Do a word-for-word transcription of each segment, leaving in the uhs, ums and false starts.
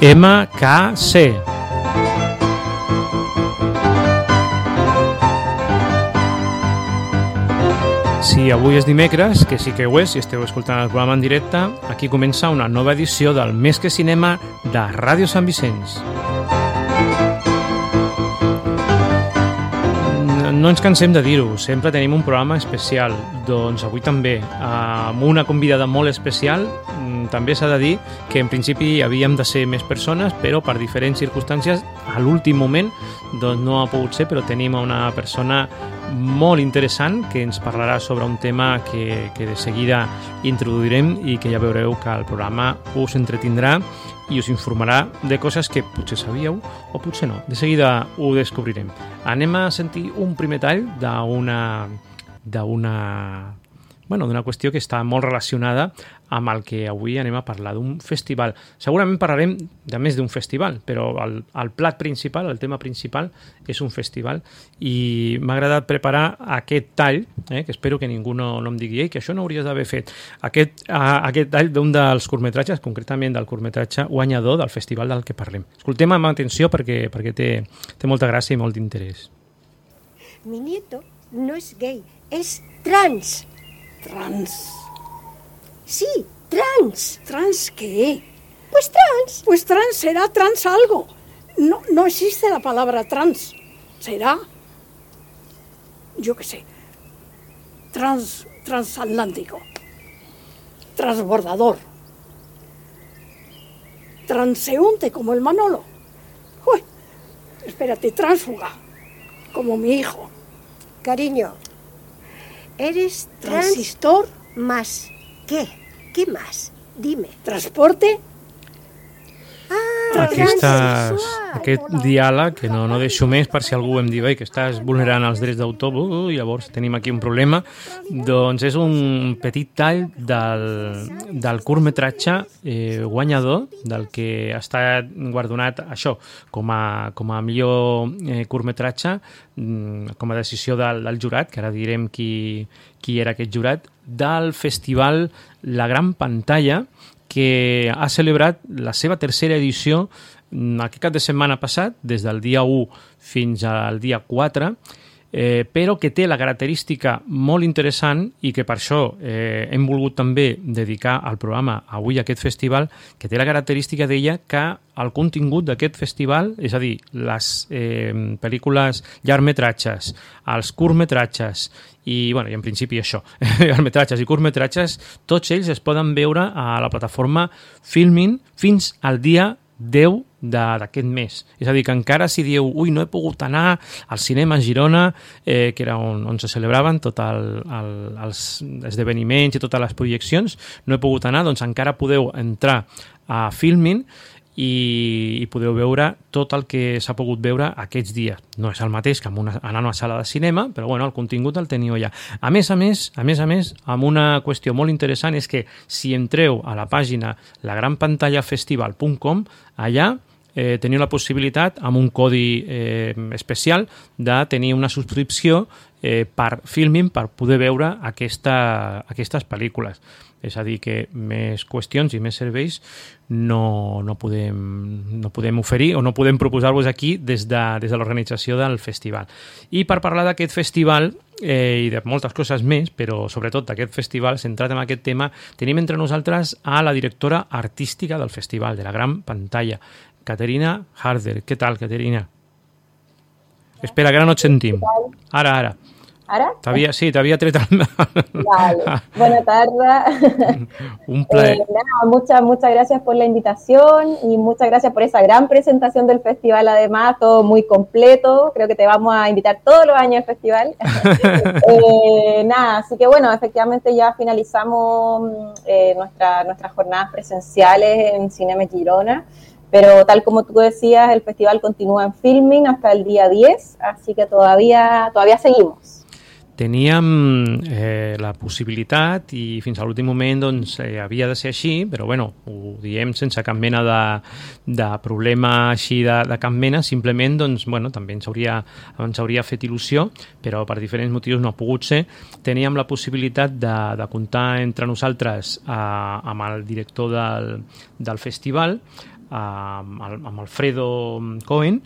M K C. Si avui és dimecres, que sí que ho és, si esteu escoltant el programa en directe, aquí comença una nova edició del Més que Cinema de Ràdio Sant Vicenç. No ens cansem de dir-ho, sempre tenim un programa especial. Doncs avui també, amb una convidada molt especial. També s'ha de dir que en principi havíem de ser més persones, però per diferents circumstàncies, a l'últim moment doncs no ha pogut ser, però tenim una persona molt interessant que ens parlarà sobre un tema que, que de seguida introduirem i que ja veureu que el programa us entretindrà i us informarà de coses que potser sabíeu o potser no. De seguida ho descobrirem. Anem a sentir un primer tall d'una d'una bueno, d'una qüestió que està molt relacionada amb el que avui anem a parlar, d'un festival. Segurament parlarem de més d'un festival, però el, el plat principal, el tema principal, és un festival i m'ha agradat preparar aquest tall, eh, que espero que ningú no, no em digui Ei, que això no hauries d'haver fet. Aquest, uh, aquest tall d'un dels curtmetratges, concretament del curtmetratge guanyador del festival del que parlem. Escoltem amb atenció perquè, perquè té, té molta gràcia i molt d'interès. Mi nieto no es gay, es trans. Trans. Sí, trans. ¿Trans qué? Pues trans. Pues trans, será trans algo. No, no existe la palabra trans. ¿Será? Yo qué sé. Trans, transatlántico. Transbordador. Transeúnte como el Manolo. Uy, espérate, tránsfuga. Como mi hijo. Cariño, eres trans... Transistor. Más. ¿Qué? ¿Qué más? Dime. Transporte. Ah, Aquestes, aquest diàleg, que no, no deixo més per si algú em diu que estàs vulnerant els drets d'autor, uh, llavors tenim aquí un problema. Doncs és un petit tall del, del curtmetratge eh, guanyador, del que ha estat guardonat això com a, com a millor eh, curtmetratge, com a decisió del, del jurat, que ara direm qui, qui era aquest jurat, del festival La Gran Pantalla, que ha celebrat la seva tercera edició aquest cap de setmana passat, des del dia u fins al dia quatre, eh, però que té la característica molt interessant i que per això eh, hem volgut també dedicar al programa avui a aquest festival, que té la característica d'ella que el contingut d'aquest festival, és a dir, les eh, pel·lícules llargmetratges, els curtmetratges i, bueno, i en principi això, llargmetratges i curtmetratges, tots ells es poden veure a la plataforma Filmin fins al dia deu d'aquest mes. És a dir, que encara si dieu ui, no he pogut anar al cinema a Girona, eh, que era on, on se celebraven tots el, el, els esdeveniments i totes les projeccions, no he pogut anar, doncs encara podeu entrar a Filmin i, i podeu veure tot el que s'ha pogut veure aquests dies. No és el mateix que amb una, anar a una sala de cinema, però bueno, el contingut el teniu allà. A més a més, a més a més, amb una qüestió molt interessant és que si entreu a la pàgina la gran pantalla festival punt com, allà eh, teniu la possibilitat, amb un codi eh, especial, de tenir una subscripció eh, per Filmin per poder veure aquesta, aquestes pel·lícules. És a dir, que més qüestions i més serveis no, no, podem, no podem oferir o no podem proposar-vos aquí des de, des de l'organització del festival. I per parlar d'aquest festival eh, i de moltes coses més, però sobretot d'aquest festival, centrat en aquest tema, tenim entre nosaltres a la directora artística del festival, de la Gran Pantalla, Caterina Harder. Què tal, Caterina? Espera, que ara no et sentim. Ara, ara. ¿Ahora? T'havia, sí, t'havia tret el... Vale, buena tarde. Un placer. Eh, nada, muchas, muchas gracias por la invitación y muchas gracias por esa gran presentación del festival, además, todo muy completo. Creo que te vamos a invitar todos los años al festival. eh, nada, así que bueno, efectivamente ya finalizamos eh, nuestra, nuestras jornadas presenciales en Cinema Girona. Pero tal como tú decías, el festival continúa en Filmin hasta el día diez, así que todavía, todavía seguimos. Teníem eh, la possibilitat i fins a l'últim moment doncs, eh, havia de ser així, però bueno, ho diem sense cap mena de, de problema així de, de cap mena, simplement doncs, bueno, també ens hauria, ens hauria fet il·lusió, però per diferents motius no ha pogut ser. Teníem la possibilitat de, de comptar entre nosaltres eh, amb el director del, del festival, amb, amb Alfredo Cohen,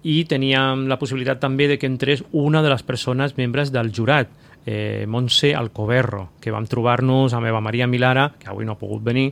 i teníem la possibilitat també de que entrés una de les persones membres del jurat, eh, Montse Alcoberro, que vam trobar-nos amb Eva Maria Milara, que avui no ha pogut venir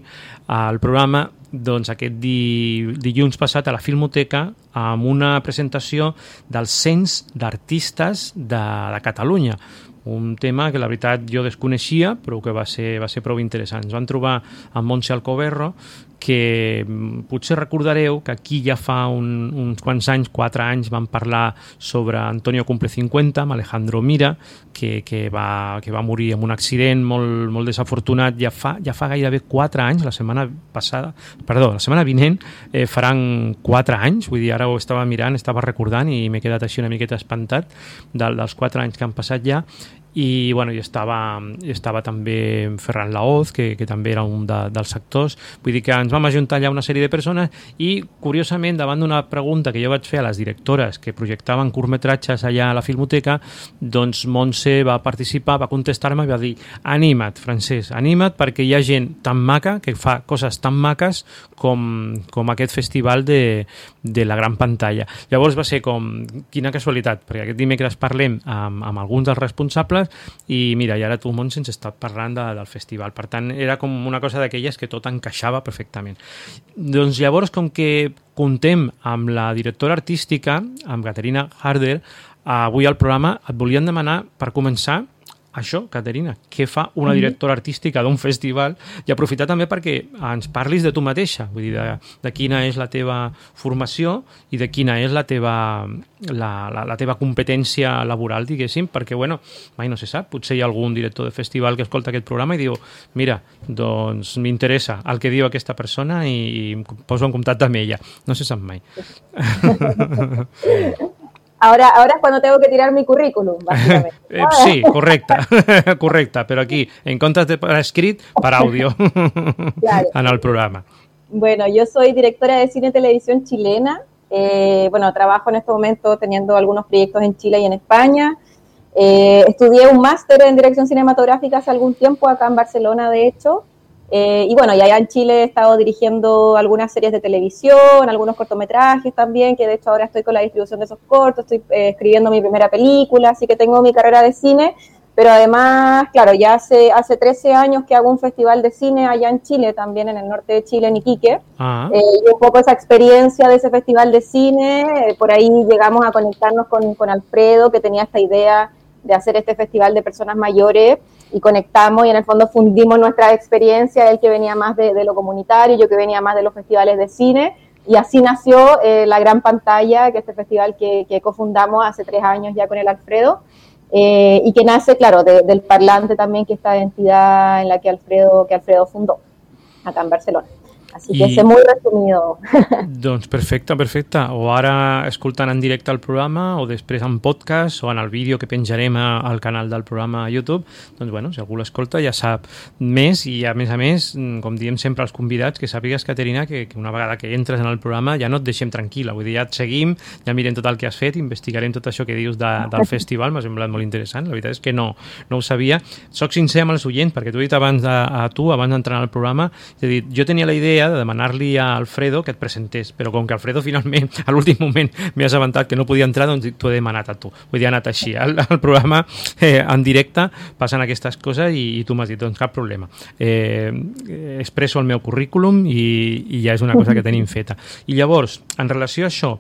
al programa, doncs aquest di, dilluns passat a la Filmoteca amb una presentació del Cens d'Artistes de, de Catalunya, un tema que la veritat jo desconeixia però que va ser, va ser prou interessant. Ens van trobar amb Montse Alcoberro, que potser recordareu que aquí ja fa un, uns quants anys, quatre anys, vam parlar sobre Antonio Cumple cinquanta, amb Alejandro Mira, que, que, va, que va morir en un accident molt, molt desafortunat ja fa, ja fa gairebé quatre anys, la setmana passada, perdó, la setmana vinent eh, faran quatre anys, vull dir, ara ho estava mirant, estava recordant i m'he quedat així una miqueta espantat del, dels quatre anys que han passat ja. I, bueno, i estava, estava també Ferran Laoz, que, que també era un de, dels actors. Vull dir que ens vam ajuntar allà una sèrie de persones i, curiosament, davant d'una pregunta que jo vaig fer a les directores que projectaven curtmetratges allà a la Filmoteca, doncs Montse va participar, va contestar-me i va dir: anima't, Francesc, anima't, perquè hi ha gent tan maca que fa coses tan maques com, com aquest festival de, de la gran pantalla. Llavors va ser com, quina casualitat, perquè aquest dimecres parlem amb, amb alguns dels responsables i mira, i ara tu, Montse, ens estàs parlant de, del festival. Per tant, era com una cosa d'aquelles que tot encaixava perfectament. Doncs llavors, com que contem amb la directora artística, amb Caterina Harder, avui al programa et volíem demanar, per començar, això, Caterina, què fa una directora artística d'un festival, i aprofitar també perquè ens parlis de tu mateixa, vull dir, de, de quina és la teva formació i de quina és la teva, la, la, la teva competència laboral, diguéssim, perquè, bueno, mai no se sap, potser hi ha algun director de festival que escolta aquest programa i diu: mira, doncs m'interessa el que diu aquesta persona i, i em poso en contacte amb ella. No se sap mai. Ahora, ahora es cuando tengo que tirar mi currículum, básicamente. Eh, sí, correcta, correcta, pero aquí, en comptes de per escrit, per àudio, claro, en el programa. Bueno, yo soy directora de cine y televisión chilena. Eh, bueno, trabajo en este momento teniendo algunos proyectos en Chile y en España. Eh, estudié un máster en dirección cinematográfica hace algún tiempo, acá en Barcelona, de hecho. Eh, y bueno, y allá en Chile he estado dirigiendo algunas series de televisión, algunos cortometrajes también, que de hecho ahora estoy con la distribución de esos cortos, estoy eh, escribiendo mi primera película, así que tengo mi carrera de cine, pero además, claro, ya hace, hace trece años que hago un festival de cine allá en Chile, también en el norte de Chile, en Iquique, uh-huh. eh, y un poco esa experiencia de ese festival de cine, eh, por ahí llegamos a conectarnos con, con Alfredo, que tenía esta idea de hacer este festival de personas mayores, y conectamos y en el fondo fundimos nuestra experiencia, él que venía más de, de lo comunitario, yo que venía más de los festivales de cine, y así nació eh, La Gran Pantalla, que es este festival que, que cofundamos hace tres años ya con el Alfredo, eh, y que nace, claro, de, del Parlante también, que es esta entidad en la que Alfredo, que Alfredo fundó, acá en Barcelona. Així que I... és molt resumido. Doncs perfecte, perfecte. O ara escoltant en directe el programa, o després en podcast, o en el vídeo que penjarem al canal del programa a YouTube, doncs bueno, si algú l'escolta ja sap més, i a més a més, com diem sempre als convidats, que sàpigues, Caterina, que, que una vegada que entres en el programa ja no et deixem tranquil·la, vull dir, ja et seguim, ja mirem tot el que has fet, investigarem tot això que dius de, del festival, m'ha semblat molt interessant, la veritat és que no, no ho sabia. Soc sincer amb els oients, perquè t'ho he dit abans de, a tu, abans d'entrar al programa, és a dir, jo tenia la idea de demanar-li a Alfredo que et presentés, però com que Alfredo finalment a l'últim moment m'he assabentat que no podia entrar, doncs t'ho he demanat a tu. Vull dir, ha anat així. El, el programa eh, en directe passen aquestes coses i, i tu m'has dit, doncs cap problema. Eh, expresso el meu currículum i, i ja és una cosa que tenim feta. I llavors, en relació a això,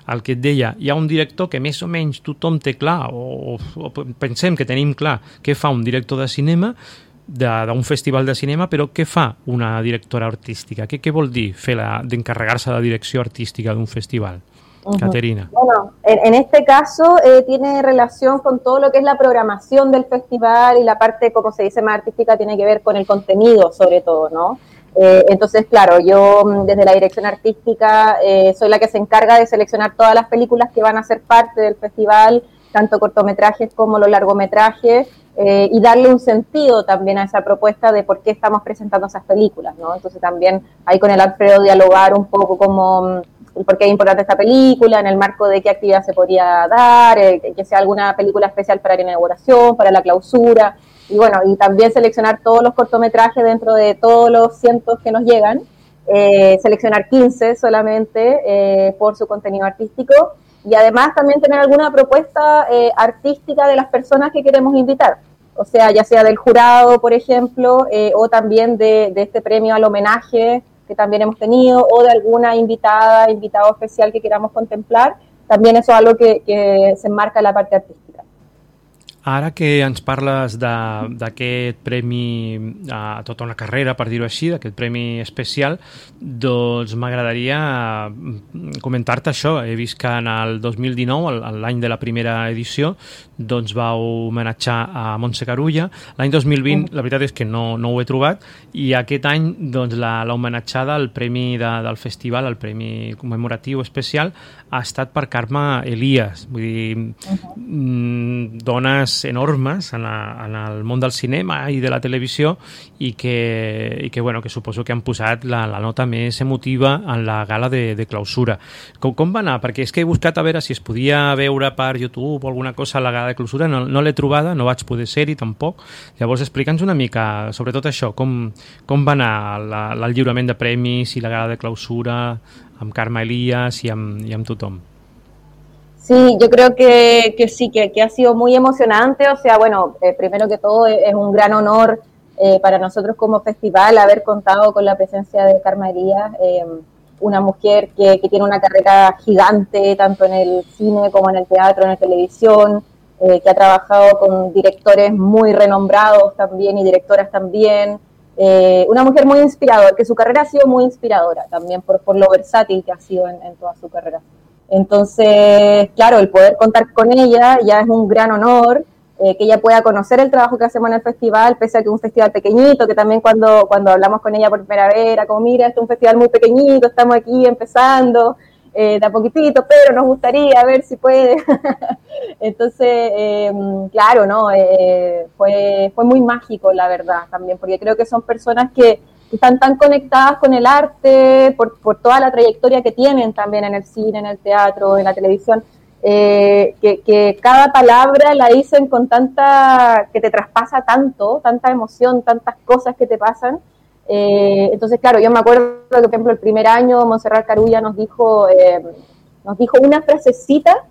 el que et deia, hi ha un director que més o menys tothom té clar, o, o pensem que tenim clar què fa un director de cinema, d'un festival de cinema, però què fa una directora artística? Què, què vol dir fer la, d'encarregar-se de la direcció artística d'un festival? Uh-huh. Caterina. Bueno, en, en este caso eh, tiene relación con todo lo que es la programación del festival, y la parte, como se dice, más artística tiene que ver con el contenido, sobre todo, ¿no? Eh, entonces, claro, yo desde la dirección artística eh, soy la que se encarga de seleccionar todas las películas que van a ser parte del festival, tanto cortometrajes como los largometrajes, eh, y darle un sentido también a esa propuesta de por qué estamos presentando esas películas, ¿no? Entonces también ahí con el Alfredo dialogar un poco como por qué es importante esta película, en el marco de qué actividad se podría dar, eh, que sea alguna película especial para la inauguración, para la clausura, y bueno, y también seleccionar todos los cortometrajes dentro de todos los cientos que nos llegan, eh, seleccionar quince solamente eh, por su contenido artístico y además también tener alguna propuesta eh, artística de las personas que queremos invitar. O sea, ya sea del jurado, por ejemplo, eh, o también de, de este premio al homenaje que también hemos tenido, o de alguna invitada, invitado especial que queramos contemplar. También eso es algo que, que se enmarca en la parte artística. Ara que ens parles d'aquest premi a tota una carrera, per dir-ho així, d'aquest premi especial, doncs m'agradaria comentar-te això. He vist que en el dos mil dinou, l'any de la primera edició, doncs vau homenatjar a Montse Carulla. L'any dos mil vint, la veritat és que no, no ho he trobat, i aquest any doncs, l'homenatjada al premi de, del festival, el premi commemoratiu especial, ha estat per Carme Elias. Vull dir, uh-huh. dones enormes en, la, en el món del cinema i de la televisió i que, i que, bueno, que suposo que han posat la, la nota més emotiva en la gala de, de clausura. Com, com va anar? Perquè és que he buscat a veure si es podia veure per YouTube o alguna cosa a la gala de clausura, no, no l'he trobada, no vaig poder ser-hi tampoc. Llavors explica'ns una mica sobre tot això, com, com va anar la, el lliurament de premis i la gala de clausura amb Carme Elias y, y amb tothom. Sí, yo creo que, que sí, que, que ha sido muy emocionante. O sea, bueno, eh, primero que todo es un gran honor eh, para nosotros como festival haber contado con la presencia de Carme Elias, eh, una mujer que, que tiene una carrera gigante tanto en el cine como en el teatro, en la televisión, eh, que ha trabajado con directores muy renombrados también y directoras también. Eh, una mujer muy inspiradora, que su carrera ha sido muy inspiradora también por, por lo versátil que ha sido en, en toda su carrera. Entonces, claro, el poder contar con ella ya es un gran honor, eh, que ella pueda conocer el trabajo que hacemos en el festival, pese a que es un festival pequeñito, que también cuando, cuando hablamos con ella por primera vez era como, mira, este es un festival muy pequeñito, estamos aquí empezando, eh, de a poquitito, pero nos gustaría ver si puede. Entonces, eh, claro, ¿no? Eh, fue, fue muy mágico, la verdad, también, porque creo que son personas que, que están tan conectadas con el arte, por, por toda la trayectoria que tienen también en el cine, en el teatro, en la televisión, eh, que, que cada palabra la dicen con tanta, que te traspasa tanto, tanta emoción, tantas cosas que te pasan. Eh, entonces, claro, yo me acuerdo que, por ejemplo, el primer año Montserrat Carulla nos dijo, eh, nos dijo una frasecita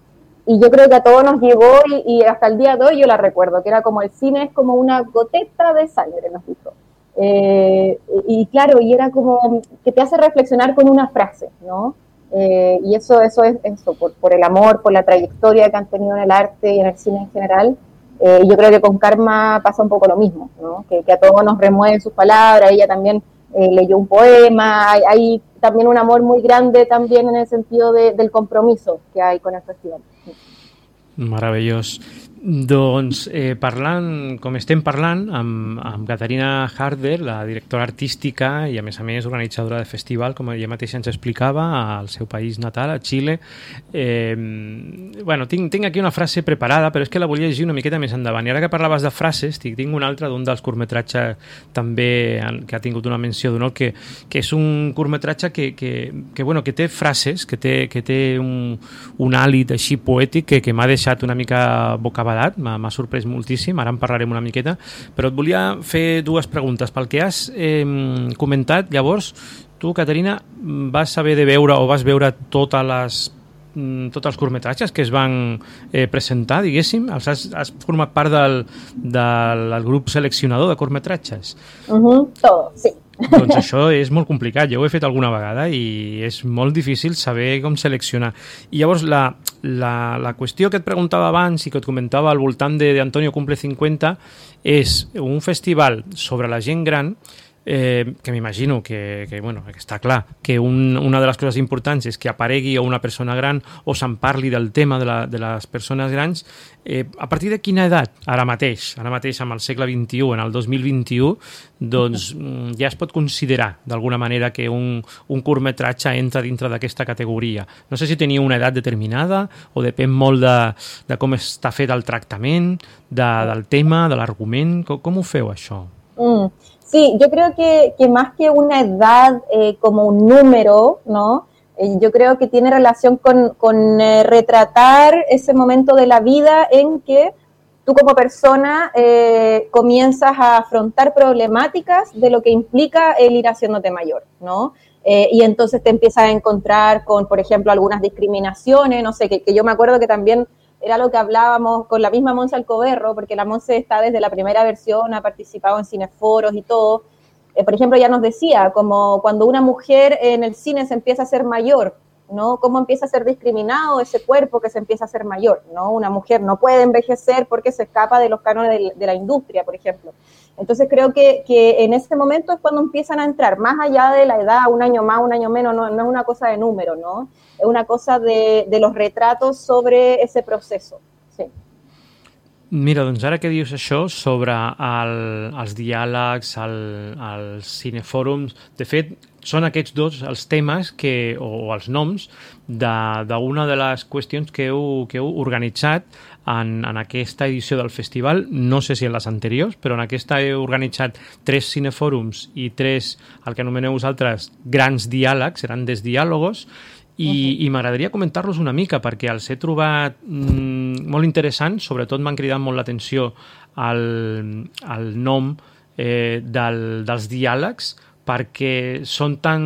y yo creo que a todos nos llegó y, y hasta el día de hoy yo la recuerdo, que era como el cine es como una goteta de sangre, nos dijo. Eh, y, y claro, y era como que te hace reflexionar con una frase, ¿no? Eh, y eso, eso es eso, por, por el amor, por la trayectoria que han tenido en el arte y en el cine en general. Eh, y yo creo que con Karma pasa un poco lo mismo, ¿no? Que, que a todos nos remueven sus palabras. Ella también eh, leyó un poema, hay, hay también un amor muy grande también en el sentido de, del compromiso que hay con el festival. Meravellós. Doncs eh, parlant, com estem parlant amb, amb Caterina Harder, la directora artística i a més a més organitzadora de festival, com ella mateixa ens explicava, al seu país natal, a Xile. Eh, bueno, tinc, tinc aquí una frase preparada, però és que la volia llegir una miqueta més endavant. I ara que parlaves de frases, tinc, tinc una altra d'un dels curtmetratges també que ha tingut una menció d'honor, que, que és un curtmetratge que, que, que, bueno, que té frases, que té, que té un, un hàlit així poètic que, que m'ha deixat una mica bocabadat. M'ha sorprès moltíssim, ara en parlarem una miqueta, però et volia fer dues preguntes. Pel que has eh, comentat, llavors, tu, Caterina, vas haver de veure o vas veure totes les, tots els curtmetratges que es van eh, presentar, diguéssim? Els has, has format part del, del, del grup seleccionador de curtmetratges? Uh-huh, todo, sí. Doncs això és molt complicat, jo ho he fet alguna vegada i és molt difícil saber com seleccionar. I llavors la, la, la qüestió que et preguntava abans i que et comentava al voltant de, de Antonio Cumple cinquanta és un festival sobre la gent gran, eh, que m'imagino que, que, bueno, que està clar que un, una de les coses importants és que aparegui una persona gran o se'n parli del tema de, la, de les persones grans. Eh, a partir de quina edat, ara mateix, ara mateix amb el segle vint-i-u, en el dos mil vint-i-u, doncs ja es pot considerar d'alguna manera que un, un curtmetratge entra dintre d'aquesta categoria? No sé si tenia una edat determinada o depèn molt de, de com està fet el tractament, de, del tema, de l'argument. Com, com ho feu, això? Mm. Sí, yo creo que, que más que una edad eh, como un número, ¿no? Eh, yo creo que tiene relación con, con eh, retratar ese momento de la vida en que tú como persona eh, comienzas a afrontar problemáticas de lo que implica el ir haciéndote mayor, ¿no? eh, y entonces te empiezas a encontrar con, por ejemplo, algunas discriminaciones, no sé, que, que yo me acuerdo que también era lo que hablábamos con la misma Monse Alcoberro, porque la Monse está desde la primera versión, ha participado en cineforos y todo. Eh, por ejemplo, ella nos decía, como cuando una mujer en el cine se empieza a hacer mayor, ¿no? Cómo empieza a ser discriminado ese cuerpo que se empieza a hacer mayor, ¿no? Una mujer no puede envejecer porque se escapa de los cánones de, de la industria, por ejemplo. Entonces creo que, que en ese momento es cuando empiezan a entrar, más allá de la edad, un año más, un año menos, no, no es una cosa de número, ¿no? Es una cosa de, de los retratos sobre ese proceso, sí. Mira, doncs ara que dius això sobre el, els diàlegs, el, els cinefòrums, de fet, són aquests dos els temes que, o, o els noms d'una de, de les qüestions que heu, que heu organitzat en, en aquesta edició del festival. No sé si en les anteriors, però en aquesta heu organitzat tres cinefòrums i tres, el que anomeneu vosaltres, grans diàlegs, seran des diàlogos, i, uh-huh. i m'agradaria comentar-los una mica perquè els he trobat mm, molt interessants, sobretot m'han cridat molt l'atenció al, al nom eh, del, dels diàlegs, perquè són tan,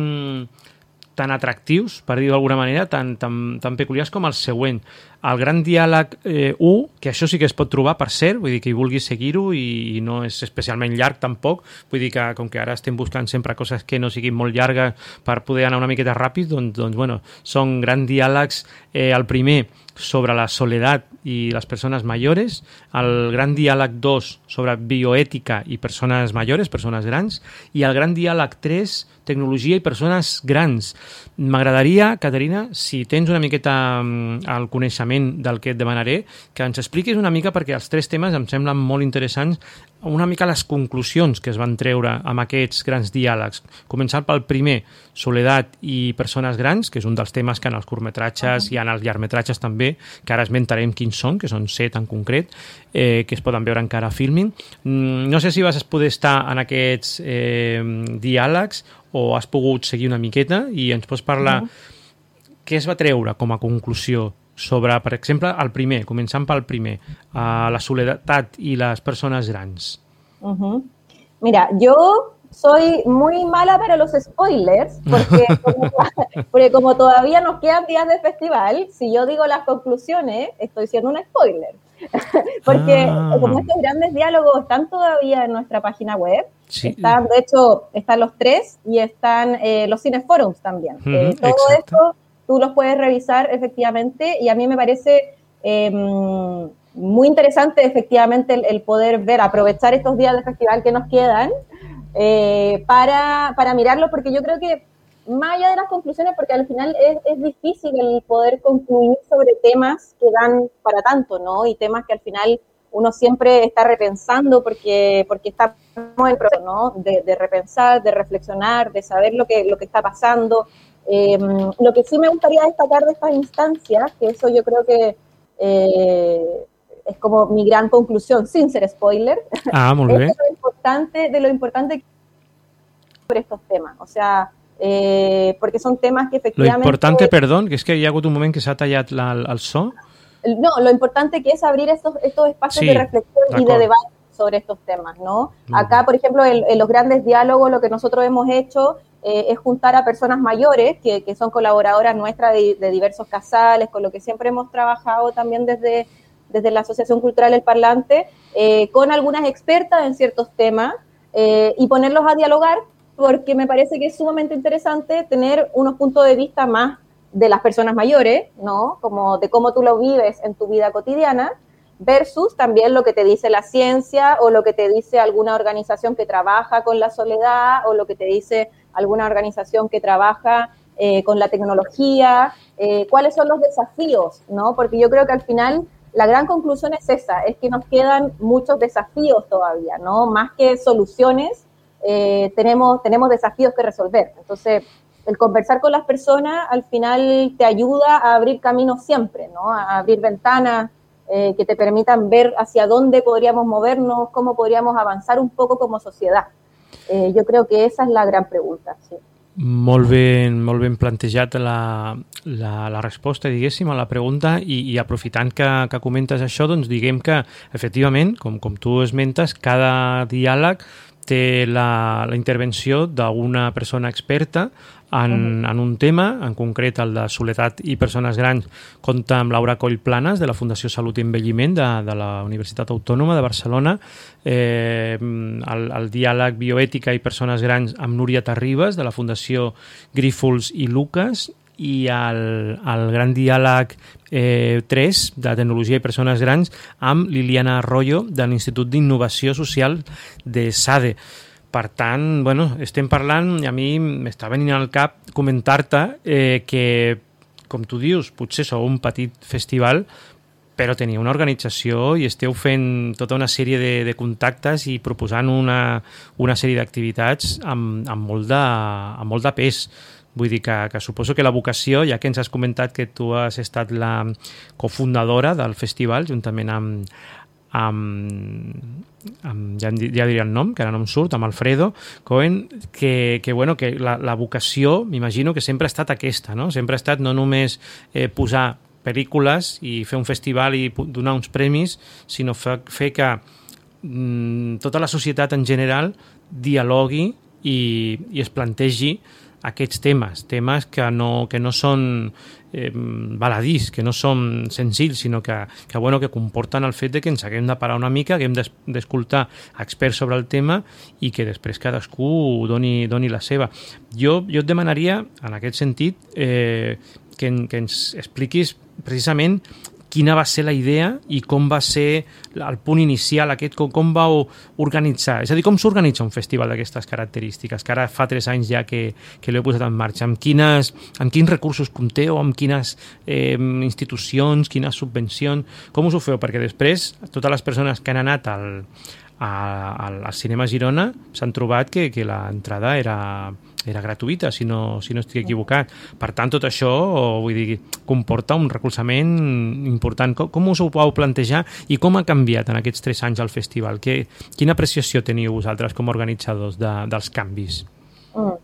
tan atractius, per dir-ho d'alguna manera, tan, tan, tan peculiars com el següent. El gran diàleg eh, u, que això sí que es pot trobar, per cert, vull dir que hi vulgui seguir-ho i, i no és especialment llarg tampoc, vull dir que com que ara estem buscant sempre coses que no siguin molt llargues per poder anar una miqueta ràpid, doncs, doncs bueno, són grans diàlegs. Eh, el primer sobre la soledat i les persones mayores, el gran diàleg dos sobre bioètica i persones mayores, persones grans, i el gran diàleg tres, tecnologia i persones grans. M'agradaria, Caterina, si tens una miqueta el coneixement del que et demanaré, que ens expliquis una mica, perquè els tres temes em semblen molt interessants, una mica les conclusions que es van treure amb aquests grans diàlegs. Començant pel primer, soledat i persones grans, que és un dels temes que en els curtmetratges i en els llargmetratges també, que ara esmentarem quins són, que són set en concret, eh, que es poden veure encara a Filmin. No sé si vas poder estar en aquests eh, diàlegs o has pogut seguir una miqueta i ens pots parlar uh-huh. què es va treure com a conclusió sobre, per exemple, el primer, començant pel primer, uh, la soledat i les persones grans. Uh-huh. Mira, yo soy muy mala para los spoilers, porque como, porque como todavía nos quedan días de festival, si yo digo las conclusiones, estoy siendo un spoiler. Porque ah. como estos grandes diálogos están todavía en nuestra página web, sí. están, de hecho, están los tres y están eh, los cinefórums también. Uh-huh, eh, todo exacto. esto tú los puedes revisar efectivamente y a mí me parece eh, muy interesante efectivamente el, el poder ver, aprovechar estos días de festival que nos quedan eh, para, para mirarlo, porque yo creo que más allá de las conclusiones, porque al final es, es difícil el poder concluir sobre temas que dan para tanto, ¿no? Y temas que al final uno siempre está repensando porque, porque estamos en el proceso, ¿no? De, de repensar, de reflexionar, de saber lo que, lo que está pasando. Eh, lo que sí me gustaría destacar de estas instancias, que eso yo creo que eh, es como mi gran conclusión, sin ser spoiler, ah, muy bien. es de lo importante, de lo importante sobre estos temas. O sea, eh, porque son temas que efectivamente... Lo importante, perdón, que es que hi ha hagut un moment que s'ha tallat la, el so. No, lo importante que es abrir estos, estos espacios sí, de reflexión y de debate sobre estos temas, ¿no? Mm. Acá, por ejemplo, en, en los grandes diálogos, lo que nosotros hemos hecho eh, es juntar a personas mayores, que, que son colaboradoras nuestras de, de diversos casales, con lo que siempre hemos trabajado también desde, desde la Asociación Cultural El Parlante, eh, con algunas expertas en ciertos temas, eh, y ponerlos a dialogar, porque me parece que es sumamente interesante tener unos puntos de vista más de las personas mayores, ¿no? Como de cómo tú lo vives en tu vida cotidiana, versus también lo que te dice la ciencia o lo que te dice alguna organización que trabaja con la soledad o lo que te dice alguna organización que trabaja eh, con la tecnología, eh, cuáles son los desafíos, ¿no? Porque yo creo que al final la gran conclusión es esa, es que nos quedan muchos desafíos todavía, ¿no? Más que soluciones, eh, tenemos, tenemos desafíos que resolver. Entonces, el conversar con las personas al final te ayuda a abrir caminos siempre, ¿no? A abrir ventanas eh, que te permitan ver hacia dónde podríamos movernos, cómo podríamos avanzar un poco como sociedad. Eh, yo creo que esa es la gran pregunta, sí. Molt ben, molt ben plantejat la, la, la resposta, diguéssim, a la pregunta i, i aprofitant que, que comentes això, doncs diguem que, efectivament, com, com tu esmentes, cada diàleg té la, la intervenció d'una persona experta en, en un tema, en concret el de soledat i persones grans, compta amb Laura Coll Planes, de la Fundació Salut i Envelliment de, de la Universitat Autònoma de Barcelona, eh, el, el diàleg bioètica i persones grans amb Núria Terribas, de la Fundació Grífols i Lucas, i el, el gran diàleg eh, tres de tecnologia i persones grans amb Liliana Arroyo de l'Institut d'Innovació Social de SADE. Per tant, bueno, estem parlant, i a mi m'està venint al cap comentar-te eh, que, com tu dius, potser sou un petit festival, però teniu una organització i esteu fent tota una sèrie de, de contactes i proposant una, una sèrie d'activitats amb, amb, molt de, amb molt de pes. Vull dir que, que suposo que la vocació, ja que ens has comentat que tu has estat la cofundadora del festival, juntament amb, amb, amb ja, ja diria el nom, que ara no em surt, amb Alfredo Cohen, que, que, bueno, que la, la vocació, m'imagino que sempre ha estat aquesta, no? Sempre ha estat no només eh, posar pel·lícules i fer un festival i donar uns premis, sinó fer, fer que mm, tota la societat en general dialogui i, i es plantegi aquests temes, temes que no, que no són eh, baladís, que no són senzills, sinó que, que, bueno, que comporten el fet de que ens haguem de parar una mica, que hem d'escoltar experts sobre el tema i que després cadascú doni, doni la seva. Jo, jo et demanaria, en aquest sentit, eh, que, que ens expliquis precisament quina va ser la idea i com va ser el punt inicial aquest, com, com vau organitzar, és a dir, com s'organitza un festival d'aquestes característiques, que ara fa tres anys ja que, que l'heu posat en marxa, amb, quines, amb quins recursos compteu, amb quines eh, institucions, quines subvencions, com us ho feu? Perquè després totes les persones que han anat al, al, al Cinema Girona s'han trobat que, que l'entrada era... era gratuïta, si no, si no estic equivocat. Per tant, tot això, vull dir, comporta un recolzament important. Com, com us ho vau plantejar i com ha canviat en aquests tres anys el festival? Que, quina apreciació teniu vosaltres com a organitzadors de, dels canvis? Mm.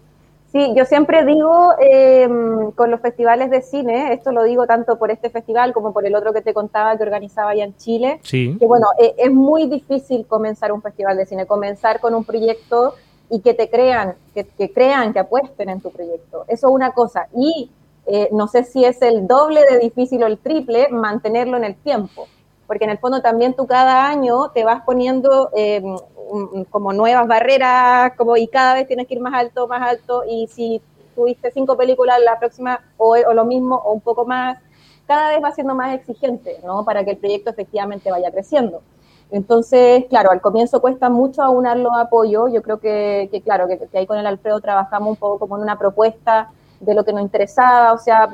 Sí, yo siempre digo eh, con los festivales de cine, esto lo digo tanto por este festival como por el otro que te contaba que organizaba allá en Chile, sí. que bueno, eh, es muy difícil comenzar un festival de cine, comenzar con un proyecto y que te crean, que, que crean, que apuesten en tu proyecto. Eso es una cosa. Y eh, no sé si es el doble de difícil o el triple mantenerlo en el tiempo. Porque en el fondo también tú cada año te vas poniendo eh, como nuevas barreras como, y cada vez tienes que ir más alto, más alto. Y si tuviste cinco películas, la próxima o, o lo mismo o un poco más, cada vez va siendo más exigente, ¿no? Para que el proyecto efectivamente vaya creciendo. Entonces, claro, al comienzo cuesta mucho aunar los apoyos. Yo creo que, que claro, que, que ahí con el Alfredo trabajamos un poco como en una propuesta de lo que nos interesaba. O sea,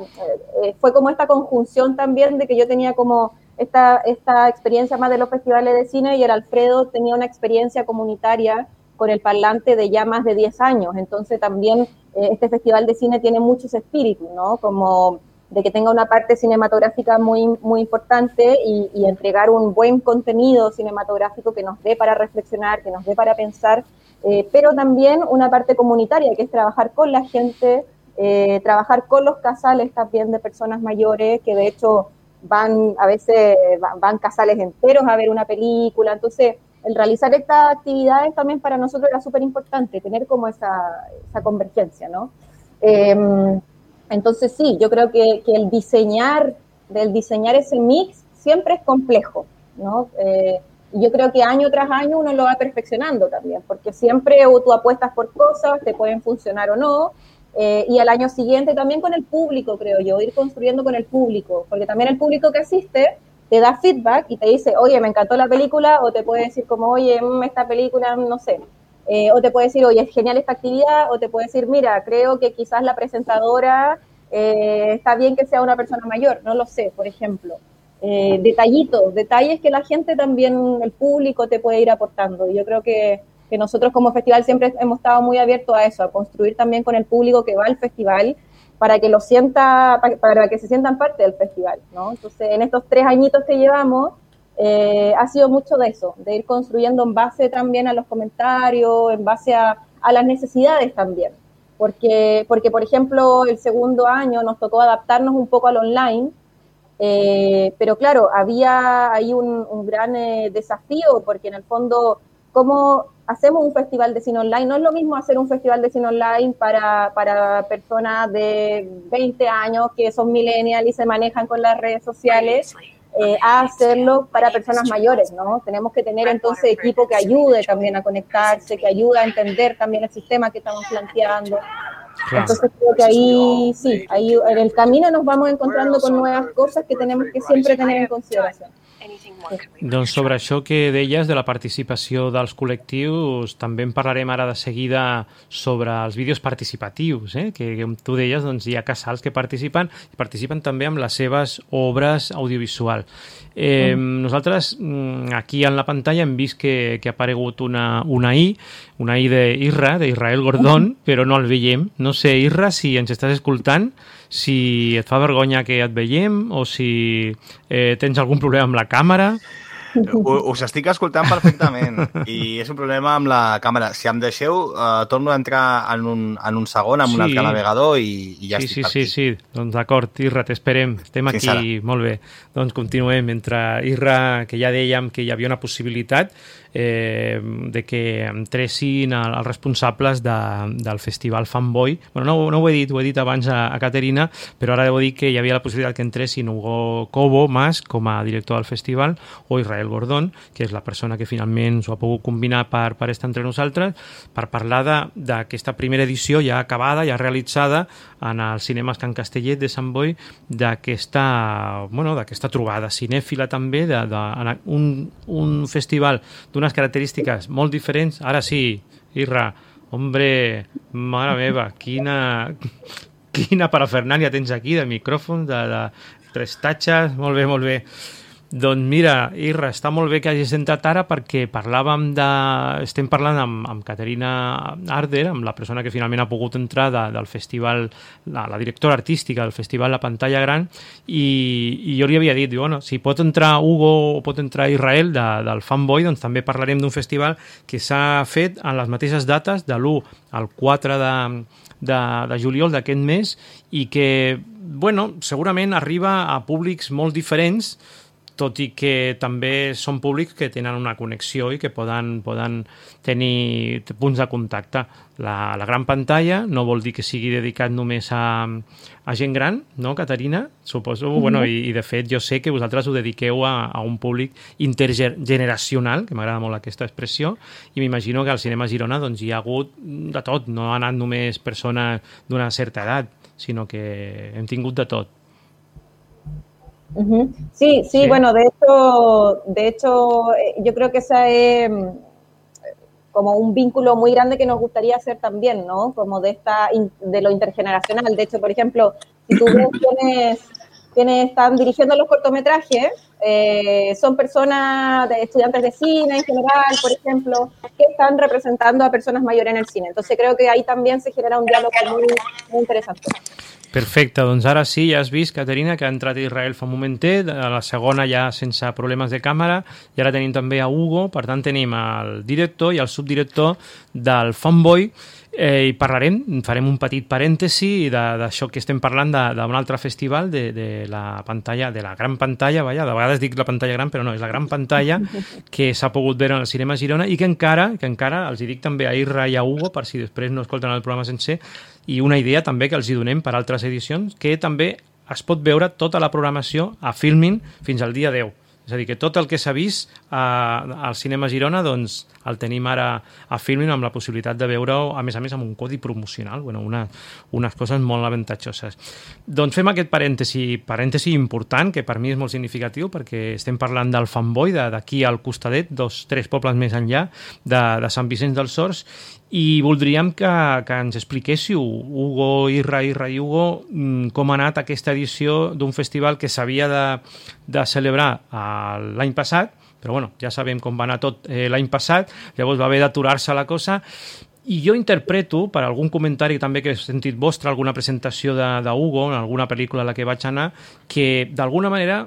eh, fue como esta conjunción también de que yo tenía como esta, esta experiencia más de los festivales de cine y el Alfredo tenía una experiencia comunitaria con el parlante de ya más de diez años. Entonces también eh, este festival de cine tiene muchos espíritus, ¿no? Como de que tenga una parte cinematográfica muy, muy importante y, y entregar un buen contenido cinematográfico que nos dé para reflexionar, que nos dé para pensar, eh, pero también una parte comunitaria, que es trabajar con la gente, eh, trabajar con los casales también de personas mayores, que de hecho van, a veces van, van casales enteros a ver una película. Entonces, el realizar estas actividades también para nosotros era súper importante, tener como esa, esa convergencia, ¿no? Eh, Entonces sí, yo creo que, que el diseñar, del diseñar ese mix siempre es complejo, ¿no? Eh, y yo creo que año tras año uno lo va perfeccionando también, porque siempre tú apuestas por cosas, te pueden funcionar o no, eh, y al año siguiente también con el público, creo yo, ir construyendo con el público, porque también el público que asiste te da feedback y te dice, oye, me encantó la película, o te puede decir como, oye, esta película, no sé. Eh, o te puede decir, oye, es genial esta actividad, o te puede decir, mira, creo que quizás la presentadora eh, está bien que sea una persona mayor, no lo sé, por ejemplo. Eh, detallitos, detalles que la gente también, el público te puede ir aportando. Y yo creo que, que nosotros como festival siempre hemos estado muy abiertos a eso, a construir también con el público que va al festival, para que lo sienta, para, para que se sientan parte del festival, ¿no? Entonces, en estos tres añitos que llevamos, Eh, ha sido mucho de eso, de ir construyendo en base también a los comentarios, en base a, a las necesidades también, porque, porque por ejemplo el segundo año nos tocó adaptarnos un poco al online, eh, pero claro, había ahí un, un gran eh, desafío, porque en el fondo, ¿cómo, hacemos un festival de cine online. No es lo mismo hacer un festival de cine online para, para personas de veinte años que son millennials y se manejan con las redes sociales, eh, a hacerlo para personas mayores, ¿no? Tenemos que tener entonces equipo que ayude también a conectarse, que ayude a entender también el sistema que estamos planteando. Claro. Entonces creo que ahí sí, ahí en el camino nos vamos encontrando con nuevas cosas que tenemos que siempre tener en consideración. Doncs sobre això que deies de la participació dels col·lectius, també en parlarem ara de seguida sobre els vídeos participatius, eh? que, que tu deies, doncs hi ha casals que participen i participen també amb les seves obres audiovisuals. Eh, mm. Nosaltres aquí en la pantalla hem vist que, que ha aparegut una, una I, una I d'Isra, d'Israel Gordón, però no el veiem. No sé, Isra, si ens estàs escoltant, si et fa vergonya que et veiem o si eh, tens algun problema amb la càmera. Us estic escoltant perfectament i és un problema amb la càmera. Si em deixeu, uh, torno a entrar en un, en un segon amb sí. un altre navegador i, i ja sí, estic sí, per aquí. Sí, sí, sí. Doncs d'acord, Isra, t'esperem. Estem aquí, sí, molt bé. Doncs continuem. Mentre Isra, que ja dèiem que hi havia una possibilitat eh, de que entressin els responsables de, del festival Fanboy. Bueno, no, no ho he dit, ho he dit abans a, a Caterina, però ara deu dir que hi havia la possibilitat que entressin Hugo Cobo Mas com a director del festival o Israel Gordón, que és la persona que finalment s'ho ha pogut combinar per, per estar entre nosaltres, per parlar d'aquesta primera edició ja acabada, ja realitzada en els cinemes Can Castellet de Sant Boi, d'aquesta bueno, d'aquesta trobada cinèfila també, de, de, un, un festival d'unes característiques molt diferents. Ara sí, Isra, hombre, mare meva, quina, quina parafernàlia tens aquí de micròfons, de, de prestatges, molt bé, molt bé. Doncs mira, Isra, està molt bé que hagis entrat ara perquè parlàvem de... estem parlant amb, amb Caterina Arder, amb la persona que finalment ha pogut entrar de, del festival, la, la directora artística del festival La Pantalla Gran, i, i jo li havia dit, bueno, si pot entrar Hugo o pot entrar Israel de, del Fanboy, doncs també parlarem d'un festival que s'ha fet en les mateixes dates, de l'u al quatre de, de, de juliol d'aquest mes, i que, bueno, segurament arriba a públics molt diferents, tot i que també són públics que tenen una connexió i que poden, poden tenir punts de contacte. La, la gran pantalla no vol dir que sigui dedicat només a, a gent gran, no, Caterina? Suposo, mm-hmm. bueno, i, i de fet jo sé que vosaltres ho dediqueu a, a un públic intergeneracional, que m'agrada molt aquesta expressió, i m'imagino que al Cinema Girona doncs, hi ha hagut de tot, no ha anat només persones d'una certa edat, sinó que hem tingut de tot. Uh-huh. Sí, sí, sí, bueno, de hecho, de hecho, yo creo que esa es como un vínculo muy grande que nos gustaría hacer también, ¿no? Como de esta, de lo intergeneracional. De hecho, por ejemplo, si tú ves quienes, quienes están dirigiendo los cortometrajes, eh, son personas, de estudiantes de cine en general, por ejemplo, que están representando a personas mayores en el cine. Entonces creo que ahí también se genera un diálogo muy, muy interesante. Perfecte, doncs ara sí, ja has vist, Caterina, que ha entrat Israel fa un momentet, a la segona ja sense problemes de càmera, i ara tenim també a Hugo, per tant tenim el director i el subdirector del Fanboy, eh, i parlarem, farem un petit parèntesi d'això que estem parlant d'un altre festival, de, de la pantalla, de la gran pantalla, vaja, de vegades dic la pantalla gran, però no, és la gran pantalla que s'ha pogut veure en el Cinema Girona i que encara, que encara els hi dic també a Isra i a Hugo, per si després no escolten el programa sencer, i una idea també que els hi donem per altres edicions, que també es pot veure tota la programació a Filmin fins al dia deu. És a dir, que tot el que s'ha vist a, al Cinema Girona doncs, el tenim ara a Filmin amb la possibilitat de veure-ho, a més a més, amb un codi promocional, bueno, una, unes coses molt avantatjoses. Doncs fem aquest parèntesi, parèntesi important, que per mi és molt significatiu, perquè estem parlant del Fanboy, d'aquí al costadet, dos, tres pobles més enllà, de, de Sant Vicenç dels Horts, i voldríem que, que ens expliquéssiu, Hugo, Isra, Isra i Hugo, com ha anat aquesta edició d'un festival que s'havia de, de celebrar l'any passat, però bueno, ja sabem com va anar tot eh, l'any passat, llavors va haver d'aturar-se la cosa, i jo interpreto, per algun comentari també que he sentit vostre, alguna presentació de, de Hugo, en alguna pel·lícula a la que vaig anar, que d'alguna manera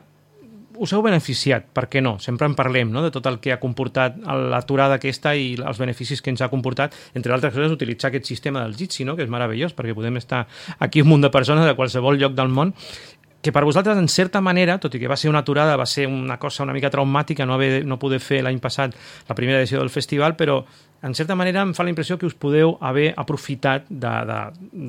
us heu beneficiat, per què no? Sempre en parlem, no?, de tot el que ha comportat l'aturada aquesta i els beneficis que ens ha comportat, entre altres coses, utilitzar aquest sistema del Jitsi, no?, que és meravellós, perquè podem estar aquí un munt de persones de qualsevol lloc del món. que per vosaltres, en certa manera, tot i que va ser una aturada, va ser una cosa una mica traumàtica no, haver, no poder fer l'any passat la primera edició del festival, però en certa manera em fa la impressió que us podeu haver aprofitat de, de,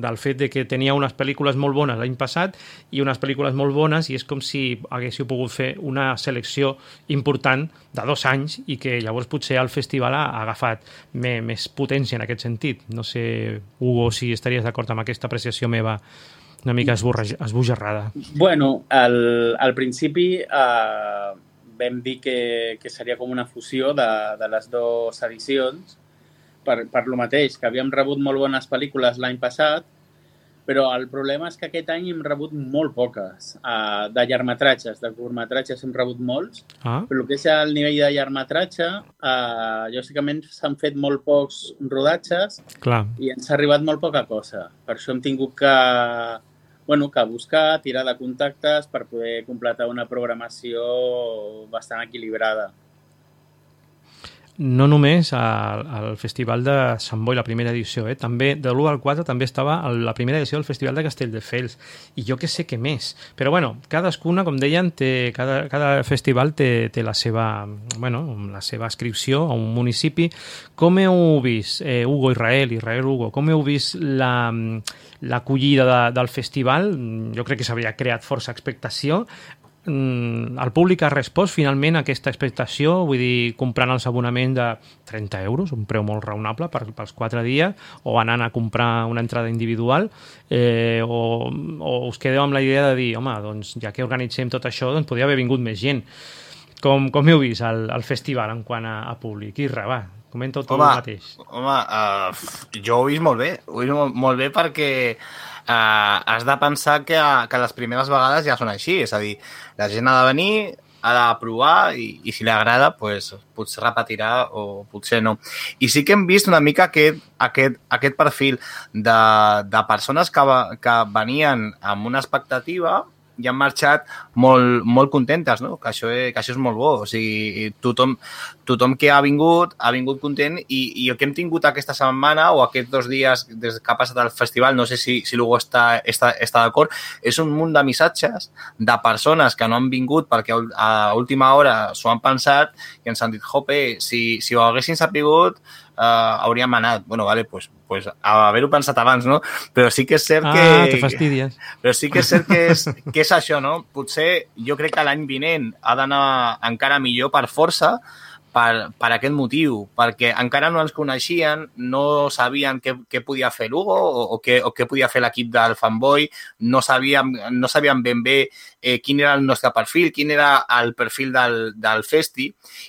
del fet de que teníeu unes pel·lícules molt bones l'any passat i unes pel·lícules molt bones, i és com si haguéssiu pogut fer una selecció important de dos anys i que llavors potser el festival ha agafat més, més potència en aquest sentit. No sé, Hugo, si estaries d'acord amb aquesta apreciació meva una mica esbojarrada. Bueno, al, al principi eh, vam dir que, que seria com una fusió de, de les dues edicions per, per lo mateix, que havíem rebut molt bones pel·lícules l'any passat, però el problema és que aquest any hem rebut molt poques. Uh, de llargmetratges, de curtmetratges hem rebut molts, ah. però el que és el nivell de llargmetratge, uh, lògicament s'han fet molt pocs rodatges. Clar. I ens ha arribat molt poca cosa. Per això hem tingut que, bueno, que buscar, tirar de contactes per poder completar una programació bastant equilibrada. No només al, al Festival de Sant Boi, la primera edició, eh? També de l'u al quatre també estava la primera edició del Festival de Castelldefels, i jo que sé què més. Però bueno, cadascuna, com deien, té, cada, cada festival té, té la seva, bueno, la seva inscripció a un municipi. Com heu vist, eh, Hugo, Israel, Israel, Hugo, com heu vist la, l'acollida de, del festival? Jo crec que s'havia creat força expectació. El públic ha respost finalment a aquesta expectació, vull dir, comprant els abonaments de trenta euros, un preu molt raonable per, pels quatre dies, o anant a comprar una entrada individual, eh, o, o us quedeu amb la idea de dir, home, doncs ja que organitzem tot això, doncs podria haver vingut més gent. Com, com heu vist el, el festival en quant a, a públic? Irra, va, comenta-ho tu mateix. Home, uh, jo ho he vist molt bé, ho he vist molt, molt bé perquè Uh, has de pensar que, que les primeres vegades ja són així, és a dir, la gent ha de venir, ha de provar i, i si li agrada, pues, potser repetirà o potser no. I sí que hem vist una mica aquest, aquest, aquest perfil de, de persones que, que venien amb una expectativa i han marxat molt, molt contentes, no? Que això, que això és molt bo. O sigui, tothom, tothom que ha vingut, ha vingut content i, i el que hem tingut aquesta setmana o aquests dos dies des que ha passat el festival, no sé si, si l'Hugo està, està, està d'acord, és un munt de missatges de persones que no han vingut perquè a última hora s'ho han pensat i ens han dit, jope, si, si ho haguessin sapigut, Uh, hauríem anat. Bueno, vale, pues, pues a haver-ho pensat abans, no? Però sí que és cert que... Ah, te fastidies. Però sí que és cert que és, que és això, no? Potser jo crec que l'any vinent ha d'anar encara millor per força, per, per aquest motiu, perquè encara no ens coneixien, no sabien què, què podia fer l'Hugo o, o, què, o què podia fer l'equip del Fanboy, no sabíem, no sabíem ben bé eh, quin era el nostre perfil, quin era el perfil del, del festi,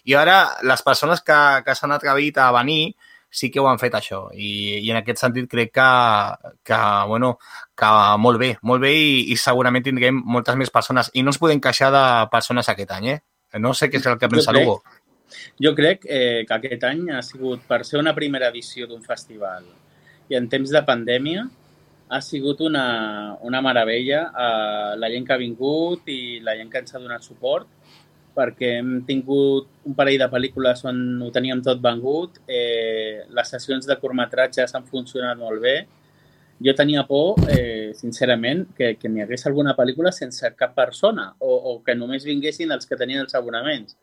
i ara les persones que, que s'han atrevit a venir sí que ho han fet això, i, i en aquest sentit crec que, que, bueno, que molt bé, molt bé i, i segurament tindrem moltes més persones, i no ens podem queixar de persones aquest any, eh? No sé què és el que pensa l'Hugo. Jo crec eh, que aquest any ha sigut, per ser una primera edició d'un festival i en temps de pandèmia, ha sigut una, una meravella eh, la gent que ha vingut i la gent que ens ha donat suport, perquè hem tingut un parell de pel·lícules on ho teníem tot vengut, eh, les sessions de curtmetratges han funcionat molt bé. Jo tenia por, eh, sincerament, que, que n'hi hagués alguna pel·lícula sense cap persona o, o que només vinguessin els que tenien els abonaments,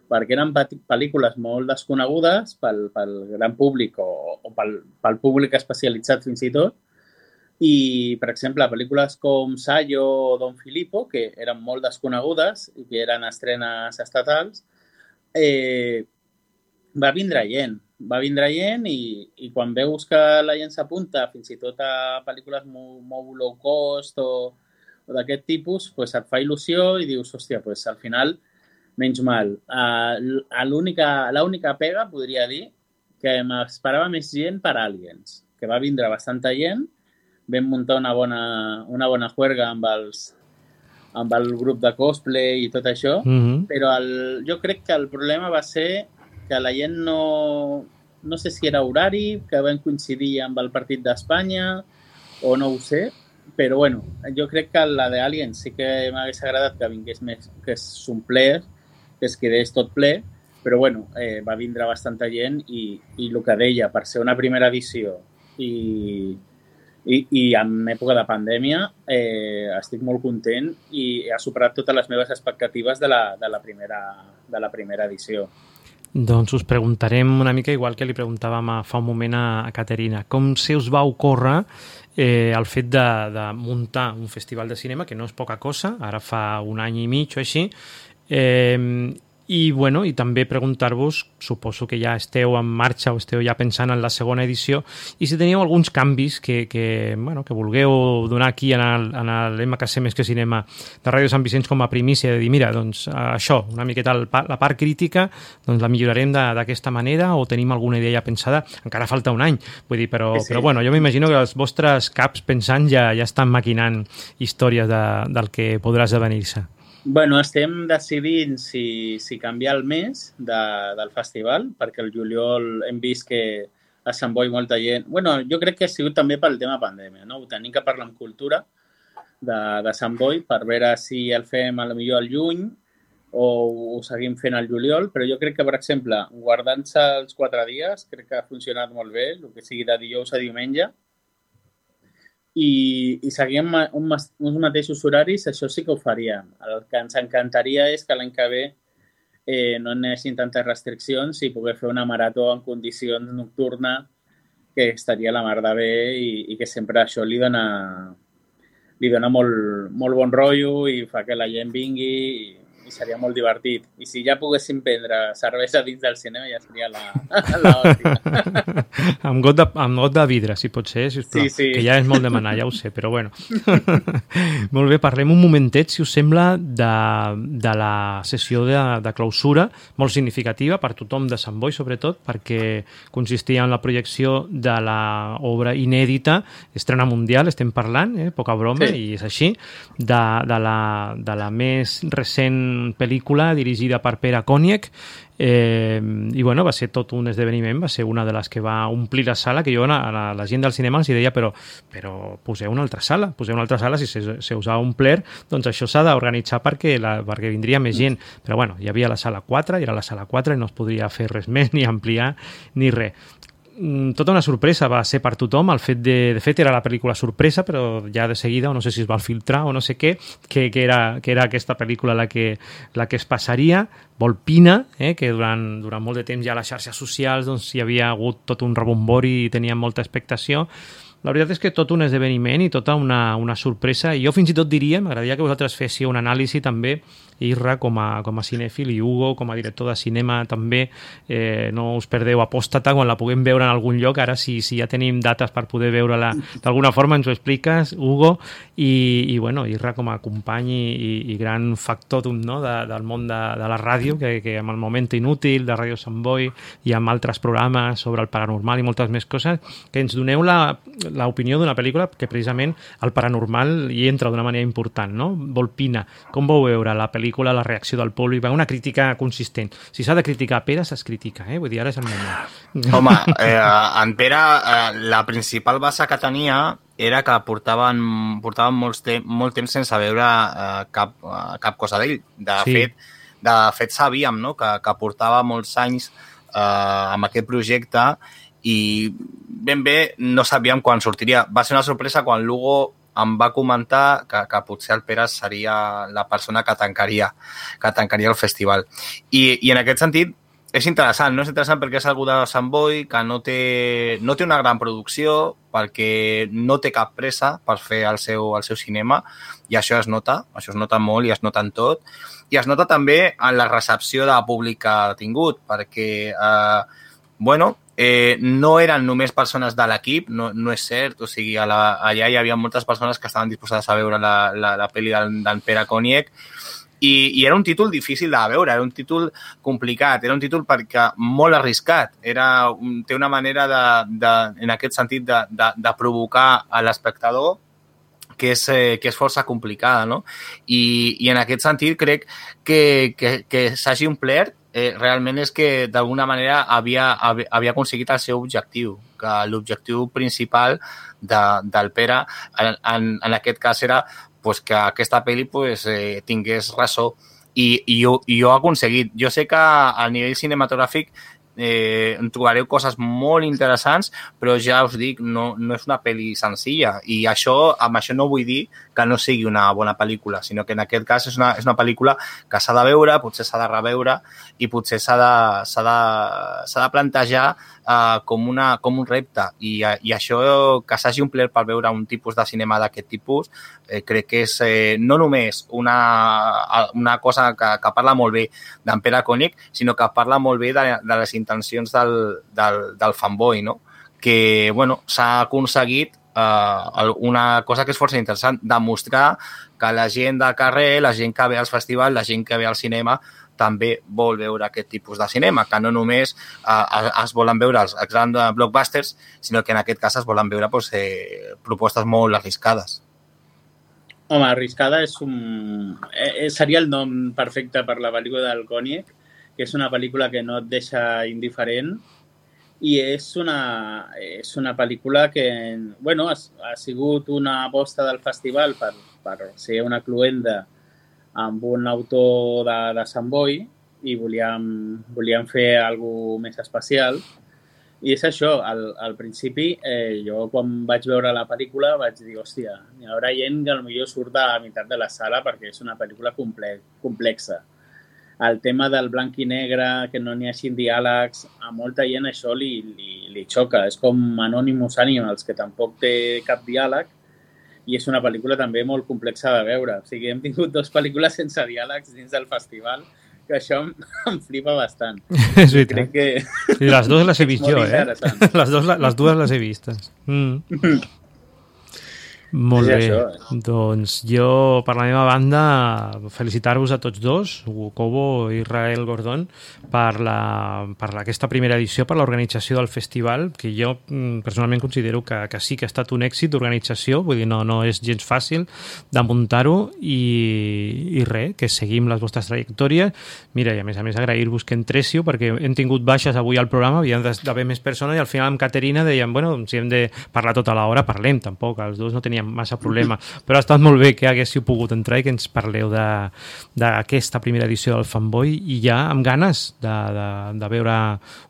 perquè eren pel·lícules molt desconegudes pel, pel gran públic o, o pel, pel públic especialitzat fins i tot. I, per exemple, pel·lícules com Sayo o Don Filippo, que eren molt desconegudes i que eren estrenes estatals, eh, va vindre gent. Va vindre gent i, i quan veus que la gent s'apunta fins i tot a pel·lícules molt, molt low cost o, o d'aquest tipus, pues et fa il·lusió i dius, hòstia, pues al final, menys mal. Uh, l'única, l'única pega, podria dir, que m'esperava més gent per Aliens, que va vindre bastanta gent. Vam muntar una bona, una bona juerga amb, els, amb el grup de cosplay i tot això, mm-hmm. però el, jo crec que el problema va ser que la gent no... No sé si era horari, que vam coincidir amb el partit d'Espanya o no ho sé, però bueno, jo crec que la d'Aliens sí que m'hagués agradat que vingués més, que s'omplés, que es quedés tot ple, però bueno, eh, va vindre bastanta gent i, i el que deia, per ser una primera edició i... I, i en època de pandèmia eh, estic molt content i ha superat totes les meves expectatives de la, de la, primera, de la primera edició. Doncs us preguntarem una mica igual que li preguntàvem a, fa un moment a, a Caterina. Com se us va ocórrer eh, el fet de, de muntar un festival de cinema, que no és poca cosa, ara fa un any i mig o així, eh, i, bueno, i també preguntar-vos, suposo que ja esteu en marxa o esteu ja pensant en la segona edició, i si teníeu alguns canvis que, que, bueno, que vulgueu donar aquí en l'M K C Més que Cinema de Ràdio Sant Vicenç com a primícia, de dir, mira, doncs això, una miqueta el, la part crítica, doncs la millorarem d'aquesta manera o tenim alguna idea ja pensada. Encara falta un any, vull dir, però, sí, sí. però bueno, jo m'imagino que els vostres caps pensant ja, ja estan maquinant històries de, del que podrà esdevenir-se. Bueno, estem decidint si, si canviar el mes de, del festival, perquè el juliol hem vist que a Sant Boi molta gent... Bueno, jo crec que ha sigut també pel tema pandèmia, no? Ho tenim que parlar amb cultura de, de Sant Boi per veure si el fem a lo millor al juny o ho seguim fent al juliol, però jo crec que, per exemple, guardant-se els quatre dies, crec que ha funcionat molt bé, el que sigui de dijous a diumenge, i, i seguim un, uns mateixos horaris, això sí que ho faríem. El que ens encantaria és que l'any que ve eh, no hi hagi tantes restriccions i poder fer una marató en condicions nocturnes que estaria la mar de bé i, i que sempre això li dona, li dona molt, molt bon rotllo i fa que la gent vingui i, i seria molt divertit. I si ja poguéssim prendre cervesa dins del cinema ja seria la, la hòstia. amb, got de, amb got de vidre, si pot ser, sisplau. Sí, sí. Que ja és molt demanar, ja ho sé, però bueno. Molt bé, parlem un momentet, si us sembla, de, de la sessió de, de clausura, molt significativa per tothom de Sant Boi, sobretot, perquè consistia en la projecció de l'obra inèdita, estrena mundial, estem parlant, eh? Poca broma, sí. I és així, de, de, la, de la més recent pel·lícula dirigida per Pere Koniec, eh, i bueno, va ser tot un esdeveniment, va ser una de les que va omplir la sala, que jo a la, la gent del cinema els deia, però, però poseu una altra sala, poseu una altra sala, si se, se us ha omplert, doncs això s'ha d'organitzar perquè, la, perquè vindria més gent, però bueno, hi havia la sala quatre, i era la sala quatre i no es podria fer res més, ni ampliar, ni res. Tota una sorpresa va ser per tothom, el fet de, de fet era la pel·lícula sorpresa, però ja de seguida, o no sé si es va filtrar o no sé què, que, que, era, que era aquesta pel·lícula la que, la que es passaria, Volpina, eh, que durant, durant molt de temps ja a les xarxes socials doncs, hi havia hagut tot un rebombori i tenia molta expectació. La veritat és que tot un esdeveniment i tota una, una sorpresa, i jo fins i tot diria, m'agradaria que vosaltres féssiu un anàlisi també, Irra com a, com a cinèfil i Hugo com a director de cinema també, eh, no us perdeu Apòstata quan la puguem veure en algun lloc, ara si, si ja tenim dates per poder veure-la d'alguna forma ens ho expliques, Hugo, i, i bueno, Irra com a company i, i, i gran factòtum, no? de, del món de, de la ràdio, que, que amb el Moment Inútil de Ràdio Sant Boi i amb altres programes sobre el paranormal i moltes més coses, que ens doneu l'opinió d'una pel·lícula que precisament el paranormal hi entra d'una manera important, no? Volpina, com vau veure la pel·lícula, la reacció del públic, una crítica consistent. Si s'ha de criticar Pere, s'es critica, eh? Vull dir, ara és el moment. Home, eh, en Pere, eh, la principal base que tenia era que portaven, portaven molts te molt temps sense veure eh, cap, eh, cap cosa d'ell. De, sí. fet, de fet, sabíem, no?, que, que portava molts anys eh, amb aquest projecte i ben bé no sabíem quan sortiria. Va ser una sorpresa quan Lugo em va comentar que, que potser el Pere seria la persona que tancaria, que tancaria el festival. I, i en aquest sentit és interessant, no? És interessant perquè és algú de Sant Boi que no té, no té una gran producció, perquè no té cap pressa per fer el seu, el seu cinema, i això es nota, això es nota molt i es nota en tot. I es nota també en la recepció de públic que ha tingut, perquè, eh, bueno, Eh, no eren només persones de l'equip, no, no és cert, o sigui, a la, allà hi havia moltes persones que estaven disposades a veure la, la, la pel·li d'en Pere Koniec i, i era un títol difícil de veure, era un títol complicat, era un títol perquè molt arriscat, era, té una manera de, de, en aquest sentit de, de, de provocar a l'espectador que és, eh, que és força complicada, no? I, i en aquest sentit crec que, que, que s'hagi omplert eh, realment és que d'alguna manera havia, havia aconseguit el seu objectiu, que l'objectiu principal de, del Pere en, en, en aquest cas era pues, que aquesta pel·li pues, eh, tingués ressò i, i, jo, i jo he aconseguit. Jo sé que a nivell cinematogràfic eh, en trobareu coses molt interessants, però ja us dic, no, no és una pel·li senzilla, i això, amb això no vull dir que no sigui una bona pel·lícula, sinó que en aquest cas és una, és una pel·lícula que s'ha de veure, potser s'ha de reveure i potser s'ha de, s'ha de, s'ha de plantejar uh, com, una, com un repte, i, i això que s'hagi omplert per veure un tipus de cinema d'aquest tipus, eh, crec que és eh, no només una, una cosa que, que parla molt bé d'en Pere Koenig, sinó que parla molt bé de, de les intencions del, del, del fanboy, no? Que bueno, s'ha aconseguit eh, una cosa que és força interessant, demostrar que la gent del carrer, la gent que ve als festivals, la gent que ve al cinema, també vol veure aquest tipus de cinema, que no només eh, es volen veure els grans blockbusters, sinó que en aquest cas es volen veure pues, eh, propostes molt arriscades. Home, arriscada és un... Eh, seria el nom perfecte per la pel·lícula del Koenig, que és una pel·lícula que no et deixa indiferent i és una, és una pel·lícula que bueno, ha, ha sigut una aposta del festival per, per ser una cluenda amb un autor de, de Sant Boi i volíem, volíem fer alguna més especial. I és això, al, al principi, eh, jo quan vaig veure la pel·lícula vaig dir, hòstia, hi haurà gent que potser surt a la meitat de la sala perquè és una pel·lícula comple complexa. El tema del blanc i negre, que no n'hi hagi diàlegs, a molta gent això li, li, li xoca. És com Anonymous Animals, que tampoc té cap diàleg i és una pel·lícula també molt complexa de veure. O sigui, hem tingut dues pel·lícules sense diàlegs dins del festival, que això em, em flipa bastant. És veritat. Crec que... Sí, les dues les he vist jo, eh? Les, dos, les dues les he vistes. Mm. Molt bé, això, eh? Doncs jo, per la meva banda, felicitar-vos a tots dos, Hugo Cobo i Israel Gordon, per, la, per la, aquesta primera edició, per l'organització del festival, que jo personalment considero que, que sí que ha estat un èxit d'organització, vull dir, no, no és gens fàcil de muntar-ho i, i res, que seguim les vostres trajectòries. Mira, i a més a més agrair-vos que entréssiu, perquè hem tingut baixes avui al programa, havien d'haver més persones i al final amb Caterina dèiem, bueno, si hem de parlar tota l'hora, parlem, tampoc, els dos no teníem massa problema, però ha estat molt bé que haguéssiu pogut entrar i que ens parleu d'aquesta primera edició del Fanboy i ja amb ganes de, de, de veure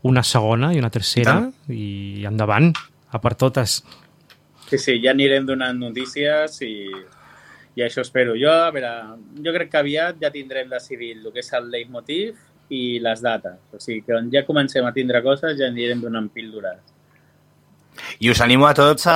una segona i una tercera i endavant, a per totes. Sí, sí, ja anirem donant notícies i, i això espero. Jo, a veure, jo crec que aviat ja tindrem decidit el que és el leitmotiv i les dates. O sigui, que on ja comencem a tindre coses ja anirem donant píldores. I us animo a tots a,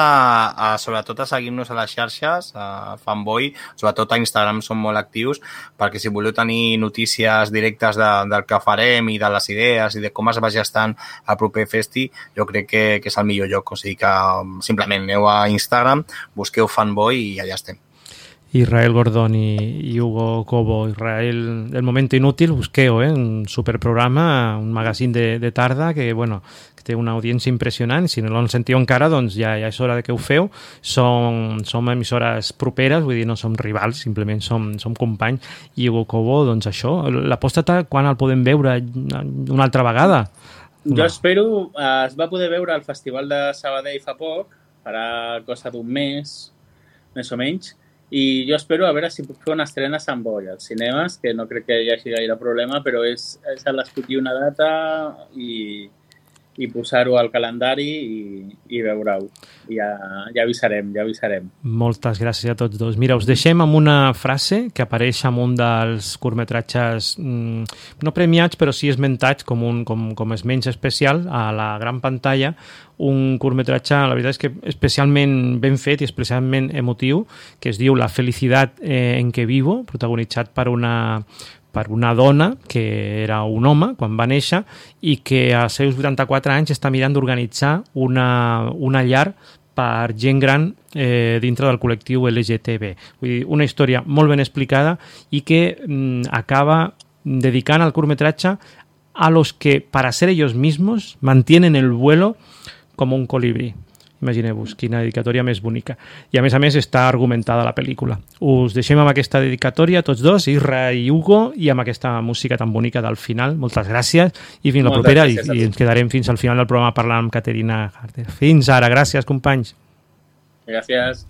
a sobretot a seguir-nos a les xarxes, a Fanboy, sobretot a Instagram som molt actius, perquè si voleu tenir notícies directes de, del que farem i de les idees i de com es va gestant el proper festi, jo crec que, que és el millor lloc. O sigui que simplement aneu a Instagram, busqueu Fanboy i allà estem. Israel Gordon i, i Hugo Cobo. Israel, El Momento Inútil, busqueu, eh? Un superprograma, un magazín de, de tarda que, bueno, que té una audiència impressionant. Si no l'han sentit encara, doncs ja, ja és hora de que ho feu. Som, som emissores properes, vull dir, no som rivals, simplement som, som companys. I Hugo Cobo, doncs això, l'apòstata, quan el podem veure una altra vegada? Jo no. espero, eh, es va poder veure al Festival de Sabadell fa poc, farà cosa d'un mes, més o menys, i jo espero a veure si puc fer una estrena a Sant Boi, als cinemes, que no crec que hi hagi gaire problema, però és, és l'escollir una data i, i posar-ho al calendari i, i veure-ho. Ja, ja avisarem, ja avisarem. Moltes gràcies a tots dos. Mira, us deixem amb una frase que apareix en un dels curtmetratges mmm, no premiats, però sí esmentats com, un, com, com és menys especial a la gran pantalla, un curtmetratge, la veritat és que especialment ben fet i especialment emotiu, que es diu La felicitat eh, en que vivo, protagonitzat per una, per una dona que era un home quan va néixer i que als seus vuitanta-quatre anys està mirant d'organitzar una, una llar per gent gran eh, dintre del col·lectiu L G T B. Vull dir, una història molt ben explicada i que mm, acaba dedicant el curtmetratge a los que, para ser ellos mismos, mantienen el vuelo com un colibrí. Imagineu-vos, quina dedicatòria més bonica. I a més a més està argumentada la pel·lícula. Us deixem amb aquesta dedicatòria, tots dos, Isra i Hugo, i amb aquesta música tan bonica del final. Moltes gràcies i fins la propera. I, i ens quedarem fins al final del programa parlant amb Caterina Harter. Fins ara. Gràcies, companys. Gràcies.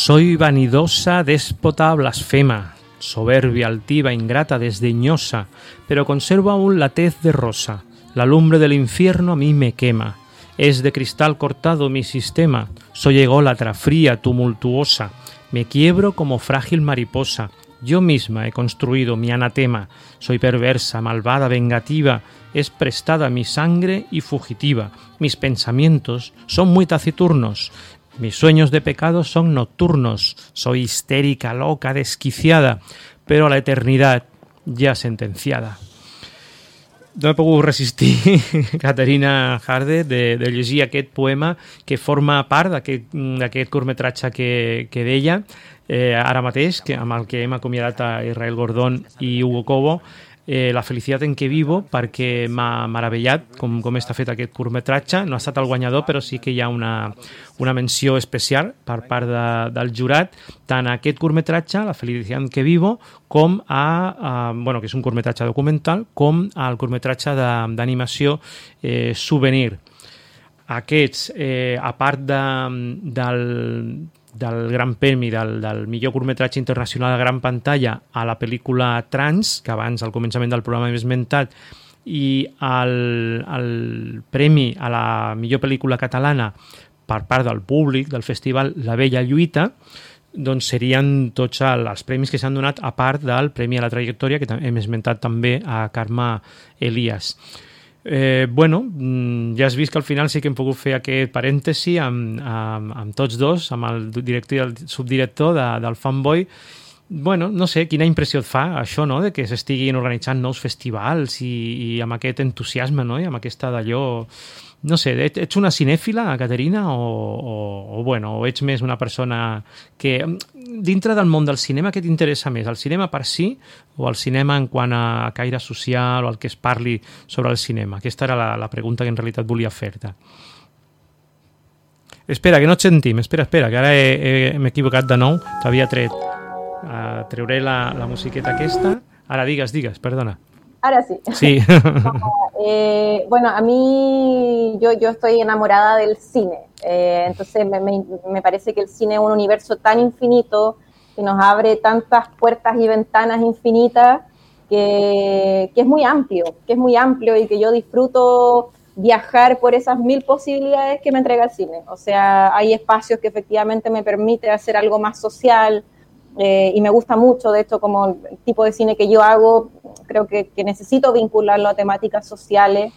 Soy vanidosa, déspota, blasfema, soberbia, altiva, ingrata, desdeñosa, pero conservo aún la tez de rosa. La lumbre del infierno a mí me quema. Es de cristal cortado mi sistema. Soy ególatra, fría, tumultuosa. Me quiebro como frágil mariposa. Yo misma he construido mi anatema. Soy perversa, malvada, vengativa. Es prestada mi sangre y fugitiva. Mis pensamientos son muy taciturnos. Mis sueños de pecado son nocturnos. Soy histérica, loca, desquiciada, pero a la eternidad ja sentenciada. No he pogut resistir, Caterina Harder, de, de llegir aquest poema que forma part d'aquest curtmetratge que, que deia eh, ara mateix, que, amb el que hem acomiadat a Israel Gordón i Hugo Cobo, eh, La felicitat en què vivo, perquè m'ha meravellat com, com està fet aquest curtmetratge. No ha estat el guanyador, però sí que hi ha una, una menció especial per part de, del jurat, tant a aquest curtmetratge, La felicitat en què vivo, com a, a bueno, que és un curtmetratge documental, com al curtmetratge d'animació eh, Souvenir. Aquests, eh, a part de, del, del Gran Premi del, del millor curtmetratge internacional a gran pantalla a la pel·lícula Trans, que abans al començament del programa hem esmentat, i el, el premi a la millor pel·lícula catalana per part del públic del festival La Bella Lluita, doncs serien tots els premis que s'han donat a part del Premi a la Trajectòria, que hem esmentat també a Carme Elias. Eh, bueno, ja has vist que al final sí que hem pogut fer aquest parèntesi amb, amb, amb tots dos, amb el director i el subdirector de, del Fanboy. Bueno, no sé, quina impressió et fa això, no?, de que s'estiguin organitzant nous festivals i, i amb aquest entusiasme, no?, i amb aquesta d'allò... No sé, ets una cinèfila, Caterina, o, o, o, bueno, o ets més una persona que... Dintre del món del cinema, què t'interessa més? El cinema per si o el cinema en quant a caire social o el que es parli sobre el cinema? Aquesta era la, la pregunta que en realitat volia fer-te. Espera, que no et sentim. Espera, espera, que ara m'he equivocat de nou. T'havia tret. Uh, treuré la, la musiqueta aquesta. Ara digues, digues, perdona. Ahora sí. Sí. eh, bueno, a mí yo, yo estoy enamorada del cine. Eh, entonces me, me, me parece que el cine es un universo tan infinito que nos abre tantas puertas y ventanas infinitas que, que es muy amplio, que es muy amplio y que yo disfruto viajar por esas mil posibilidades que me entrega el cine. O sea, hay espacios que efectivamente me permiten hacer algo más social. Eh, y me gusta mucho, de hecho, como el tipo de cine que yo hago, creo que, que necesito vincularlo a temáticas sociales.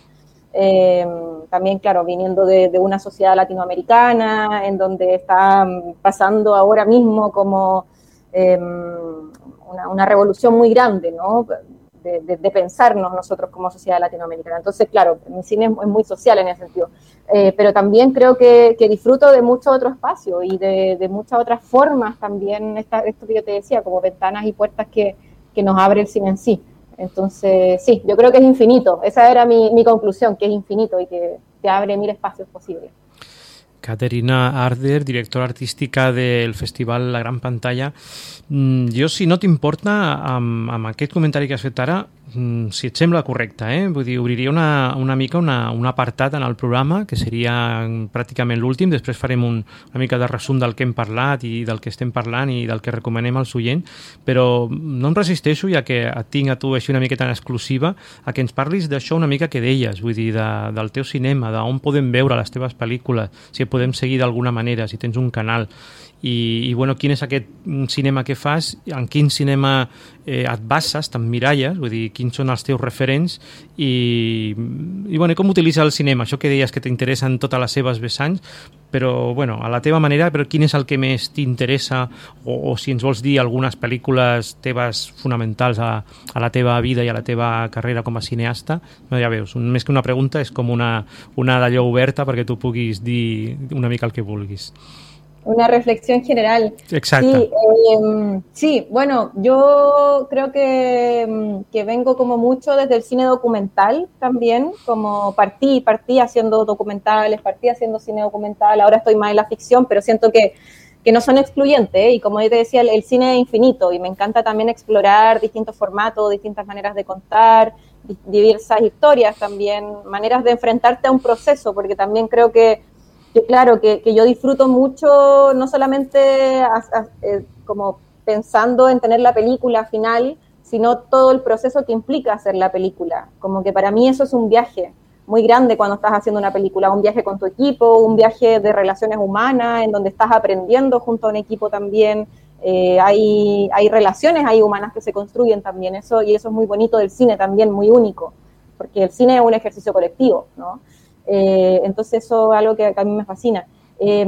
Eh, también, claro, viniendo de, de una sociedad latinoamericana, en donde está pasando ahora mismo como eh, una, una revolución muy grande, ¿no?, de, de, de pensarnos nosotros como sociedad latinoamericana. Entonces, claro, mi cine es, es muy social en ese sentido. Eh, pero también creo que, que disfruto de mucho otro espacio y de, de muchas otras formas también, esta, esto que yo te decía, como ventanas y puertas que, que nos abre el cine en sí. Entonces, sí, yo creo que es infinito. Esa era mi, mi conclusión, que es infinito y que te abre mil espacios posibles. Caterina Harder, directora artística del Festival La Gran Pantalla. Jo, si no t'importa, amb, amb aquest comentari que has fet ara, si et sembla correcte, eh? Vull dir, obriria una, una mica una, un apartat en el programa, que seria pràcticament l'últim, després farem un, una mica de resum del que hem parlat i del que estem parlant i del que recomanem als oients, però no em resisteixo, ja que et tinc a tu així una miqueta en exclusiva, a que ens parlis d'això una mica que deies, vull dir, de, del teu cinema, d'on podem veure les teves pel·lícules, si et podem seguir d'alguna manera, si tens un canal, i, i bueno, quin és aquest cinema que fas, en quin cinema eh, et bases, t'emmiralles, vull dir, quins són els teus referents i, i bueno, com utilitzes el cinema, això que deies que t'interessa en totes les seves vessants, però bueno, a la teva manera, però quin és el que més t'interessa o, o si ens vols dir algunes pel·lícules teves fonamentals a, a la teva vida i a la teva carrera com a cineasta, no, ja veus, un, més que una pregunta és com una, una d'allò oberta perquè tu puguis dir una mica el que vulguis. Una reflexión general. Exacto. Sí, eh, sí, bueno, yo creo que, que vengo como mucho desde el cine documental también, como partí, partí haciendo documentales, partí haciendo cine documental, ahora estoy más en la ficción, pero siento que, que no son excluyentes, ¿eh? Y como yo te decía, el, el cine es infinito y me encanta también explorar distintos formatos, distintas maneras de contar, diversas historias también, maneras de enfrentarte a un proceso, porque también creo que que claro, que, que yo disfruto mucho, no solamente a, a, eh, como pensando en tener la película final, sino todo el proceso que implica hacer la película. Como que para mí eso es un viaje muy grande cuando estás haciendo una película, un viaje con tu equipo, un viaje de relaciones humanas, en donde estás aprendiendo junto a un equipo también. Eh, hay, hay relaciones hay humanas que se construyen también, eso, y eso es muy bonito del cine también, muy único, porque el cine es un ejercicio colectivo, ¿no? Eh, entonces eso es algo que, que a mí me fascina. Eh,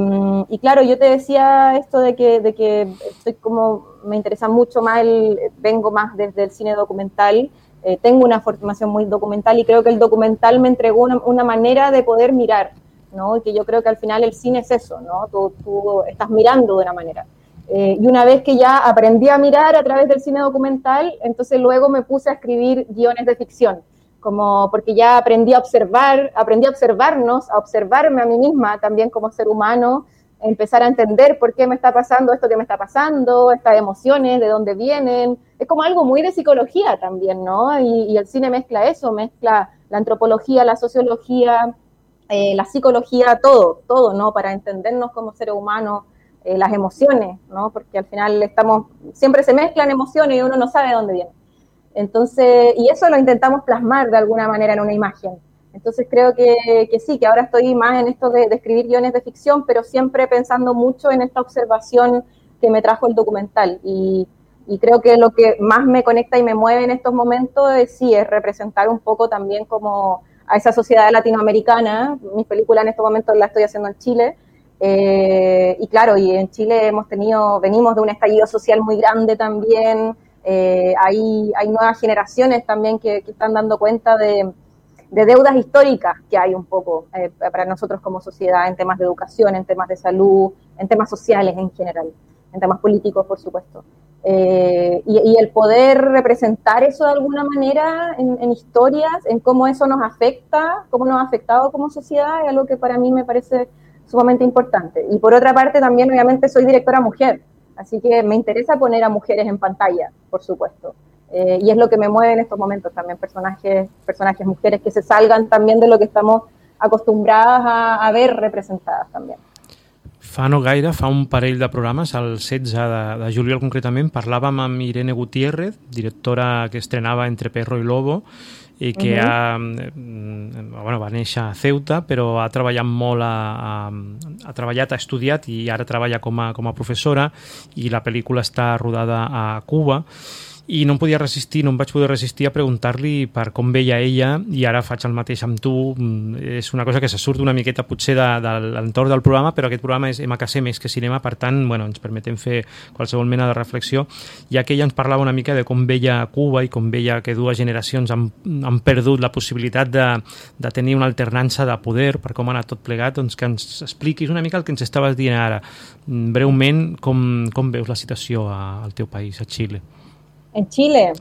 y claro, yo te decía esto de que, de que estoy como, me interesa mucho más, el, vengo más desde el cine documental, eh, tengo una formación muy documental y creo que el documental me entregó una, una manera de poder mirar, ¿no? Y que yo creo que al final el cine es eso, ¿no? Tú, tú estás mirando de una manera. Eh, y una vez que ya aprendí a mirar a través del cine documental, entonces luego me puse a escribir guiones de ficción, como porque ya aprendí a observar, aprendí a observarnos, a observarme a mí misma también como ser humano, empezar a entender por qué me está pasando esto que me está pasando, estas emociones, de dónde vienen. Es como algo muy de psicología también, ¿no? Y, y el cine mezcla eso, mezcla la antropología, la sociología, eh, la psicología, todo, todo, ¿no? Para entendernos como seres humanos, eh, las emociones, ¿no? Porque al final estamos, siempre se mezclan emociones y uno no sabe de dónde vienen. Entonces, y eso lo intentamos plasmar de alguna manera en una imagen. Entonces creo que, que sí, que ahora estoy más en esto de, de escribir guiones de ficción, pero siempre pensando mucho en esta observación que me trajo el documental. Y, y creo que lo que más me conecta y me mueve en estos momentos es, sí, es representar un poco también como a esa sociedad latinoamericana. Mis películas en estos momentos las estoy haciendo en Chile. Eh, y claro, y en Chile hemos tenido, venimos de un estallido social muy grande también. Eh, hay, hay nuevas generaciones también que, que están dando cuenta de, de deudas históricas que hay un poco eh, para nosotros como sociedad en temas de educación, en temas de salud, en temas sociales en general, en temas políticos, por supuesto. Eh, y, y el poder representar eso de alguna manera en, en historias, en cómo eso nos afecta, cómo nos ha afectado como sociedad, es algo que para mí me parece sumamente importante. Y por otra parte también, obviamente, soy directora mujer. Así que me interesa poner a mujeres en pantalla, por supuesto. Eh, y es lo que me mueve en estos momentos también, personajes, personajes mujeres que se salgan también de lo que estamos acostumbradas a, a ver representadas también. Fa no gaire, fa un parell de programes, el setze de, de juliol concretament, parlàvem amb Irene Gutiérrez, directora que estrenava Entre perro i lobo, i que uh-huh. ha, bueno, va néixer a Ceuta, però ha treballat molt, a, a, ha treballat, ha estudiat i ara treballa com a, com a professora, i la pel·lícula està rodada a Cuba. I no em podia resistir, no em vaig poder resistir a preguntar-li per com veia ella, i ara faig el mateix amb tu. És una cosa que se surt una miqueta potser de, de l'entorn del programa, però aquest programa és M K C més que cinema, per tant, bueno, ens permetem fer qualsevol mena de reflexió, ja que ella ens parlava una mica de com veia Cuba i com veia que dues generacions han, han perdut la possibilitat de, de tenir una alternança de poder, per com ha anat tot plegat, doncs que ens expliquis una mica el que ens estaves dient ara. Breument, com, com veus la situació al teu país, a Xile? En Chile,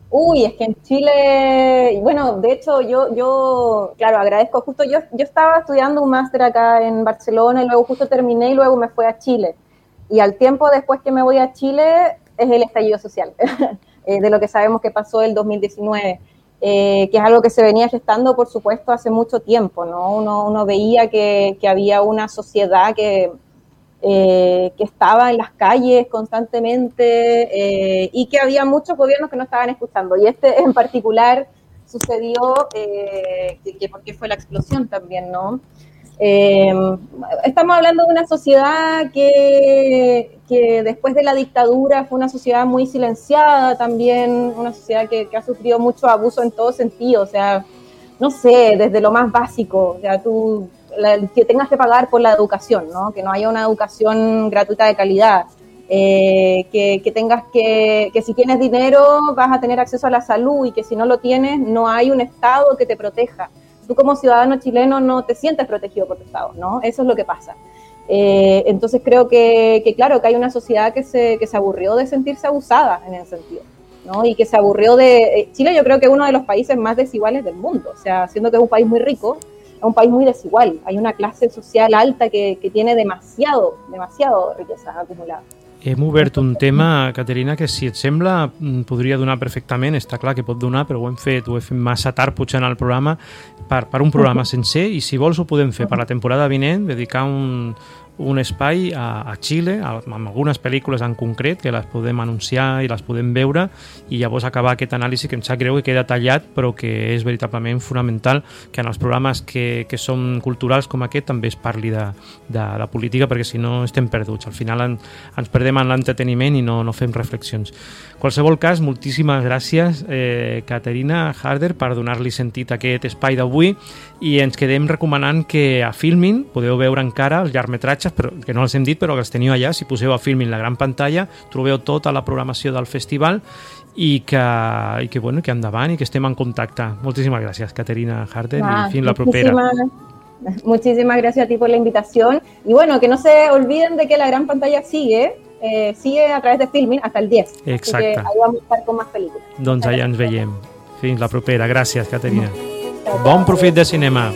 uy, es que en Chile, bueno, de hecho yo, yo claro, agradezco, justo yo, yo estaba estudiando un máster acá en Barcelona y luego justo terminé y luego me fui a Chile. Y al tiempo después que me voy a Chile es el estallido social, eh, de lo que sabemos que pasó el dos mil diecinueve, eh, que es algo que se venía gestando, por supuesto, hace mucho tiempo, ¿no? Uno, uno veía que, que había una sociedad que... Eh, que estaba en las calles constantemente eh, y que había muchos gobiernos que no estaban escuchando. Y este en particular sucedió, eh, que, que porque fue la explosión también, ¿no? Eh, estamos hablando de una sociedad que, que después de la dictadura fue una sociedad muy silenciada también, una sociedad que, que ha sufrido mucho abuso en todo sentido, o sea, no sé, desde lo más básico, o sea, tú... La, que tengas que pagar por la educación, ¿no? Que no haya una educación gratuita de calidad, eh, que, que tengas que, que si tienes dinero vas a tener acceso a la salud y que si no lo tienes no hay un Estado que te proteja. Tú como ciudadano chileno no te sientes protegido por tu Estado, ¿no? Eso es lo que pasa. Eh, entonces creo que, que claro, que hay una sociedad que se, que se aburrió de sentirse abusada en ese sentido, ¿no? Y que se aburrió de... Chile yo creo que es uno de los países más desiguales del mundo, o sea, siendo que es un país muy rico, es un país muy desigual, hay una clase social alta que, que tiene demasiado, demasiado riqueza acumulada. Hem obert un tema, Caterina, que si et sembla podria donar perfectament, està clar que pot donar, però ho hem fet, ho hem fet massa tard potser en el programa, per, per un programa sencer, i si vols ho podem fer per la temporada vinent, dedicar un, un espai a, a Xile, a, amb algunes pel·lícules en concret, que les podem anunciar i les podem veure, i llavors acabar aquest anàlisi que em sap greu que queda tallat, però que és veritablement fonamental que en els programes que, que són culturals com aquest també es parli de, de, de política, perquè si no estem perduts. Al final en, ens perdem en l'entreteniment i no, no fem reflexions. En qualsevol cas, moltíssimes gràcies, eh, Caterina Harder, per donar-li sentit a aquest espai d'avui, i ens quedem recomanant que a Filmin podeu veure encara els llargmetratges, però, que no els hem dit, però que els teniu allà. Si poseu a Filmin la gran pantalla, trobeu tota la programació del festival, i que, i que, bueno, que endavant i que estem en contacte. Moltíssimas gracias, Caterina Harder, ah, y fin la propera. Muchísimas gracias a ti por la invitación. Y bueno, que no se olviden de que la gran pantalla sigue, eh, sigue a través de Filmin hasta el diez. Exacte. Así que ahí vamos a estar con más películas. Doncs allà ens veiem. Fins la propera. Gràcies, Caterina. Bon profit de cinema.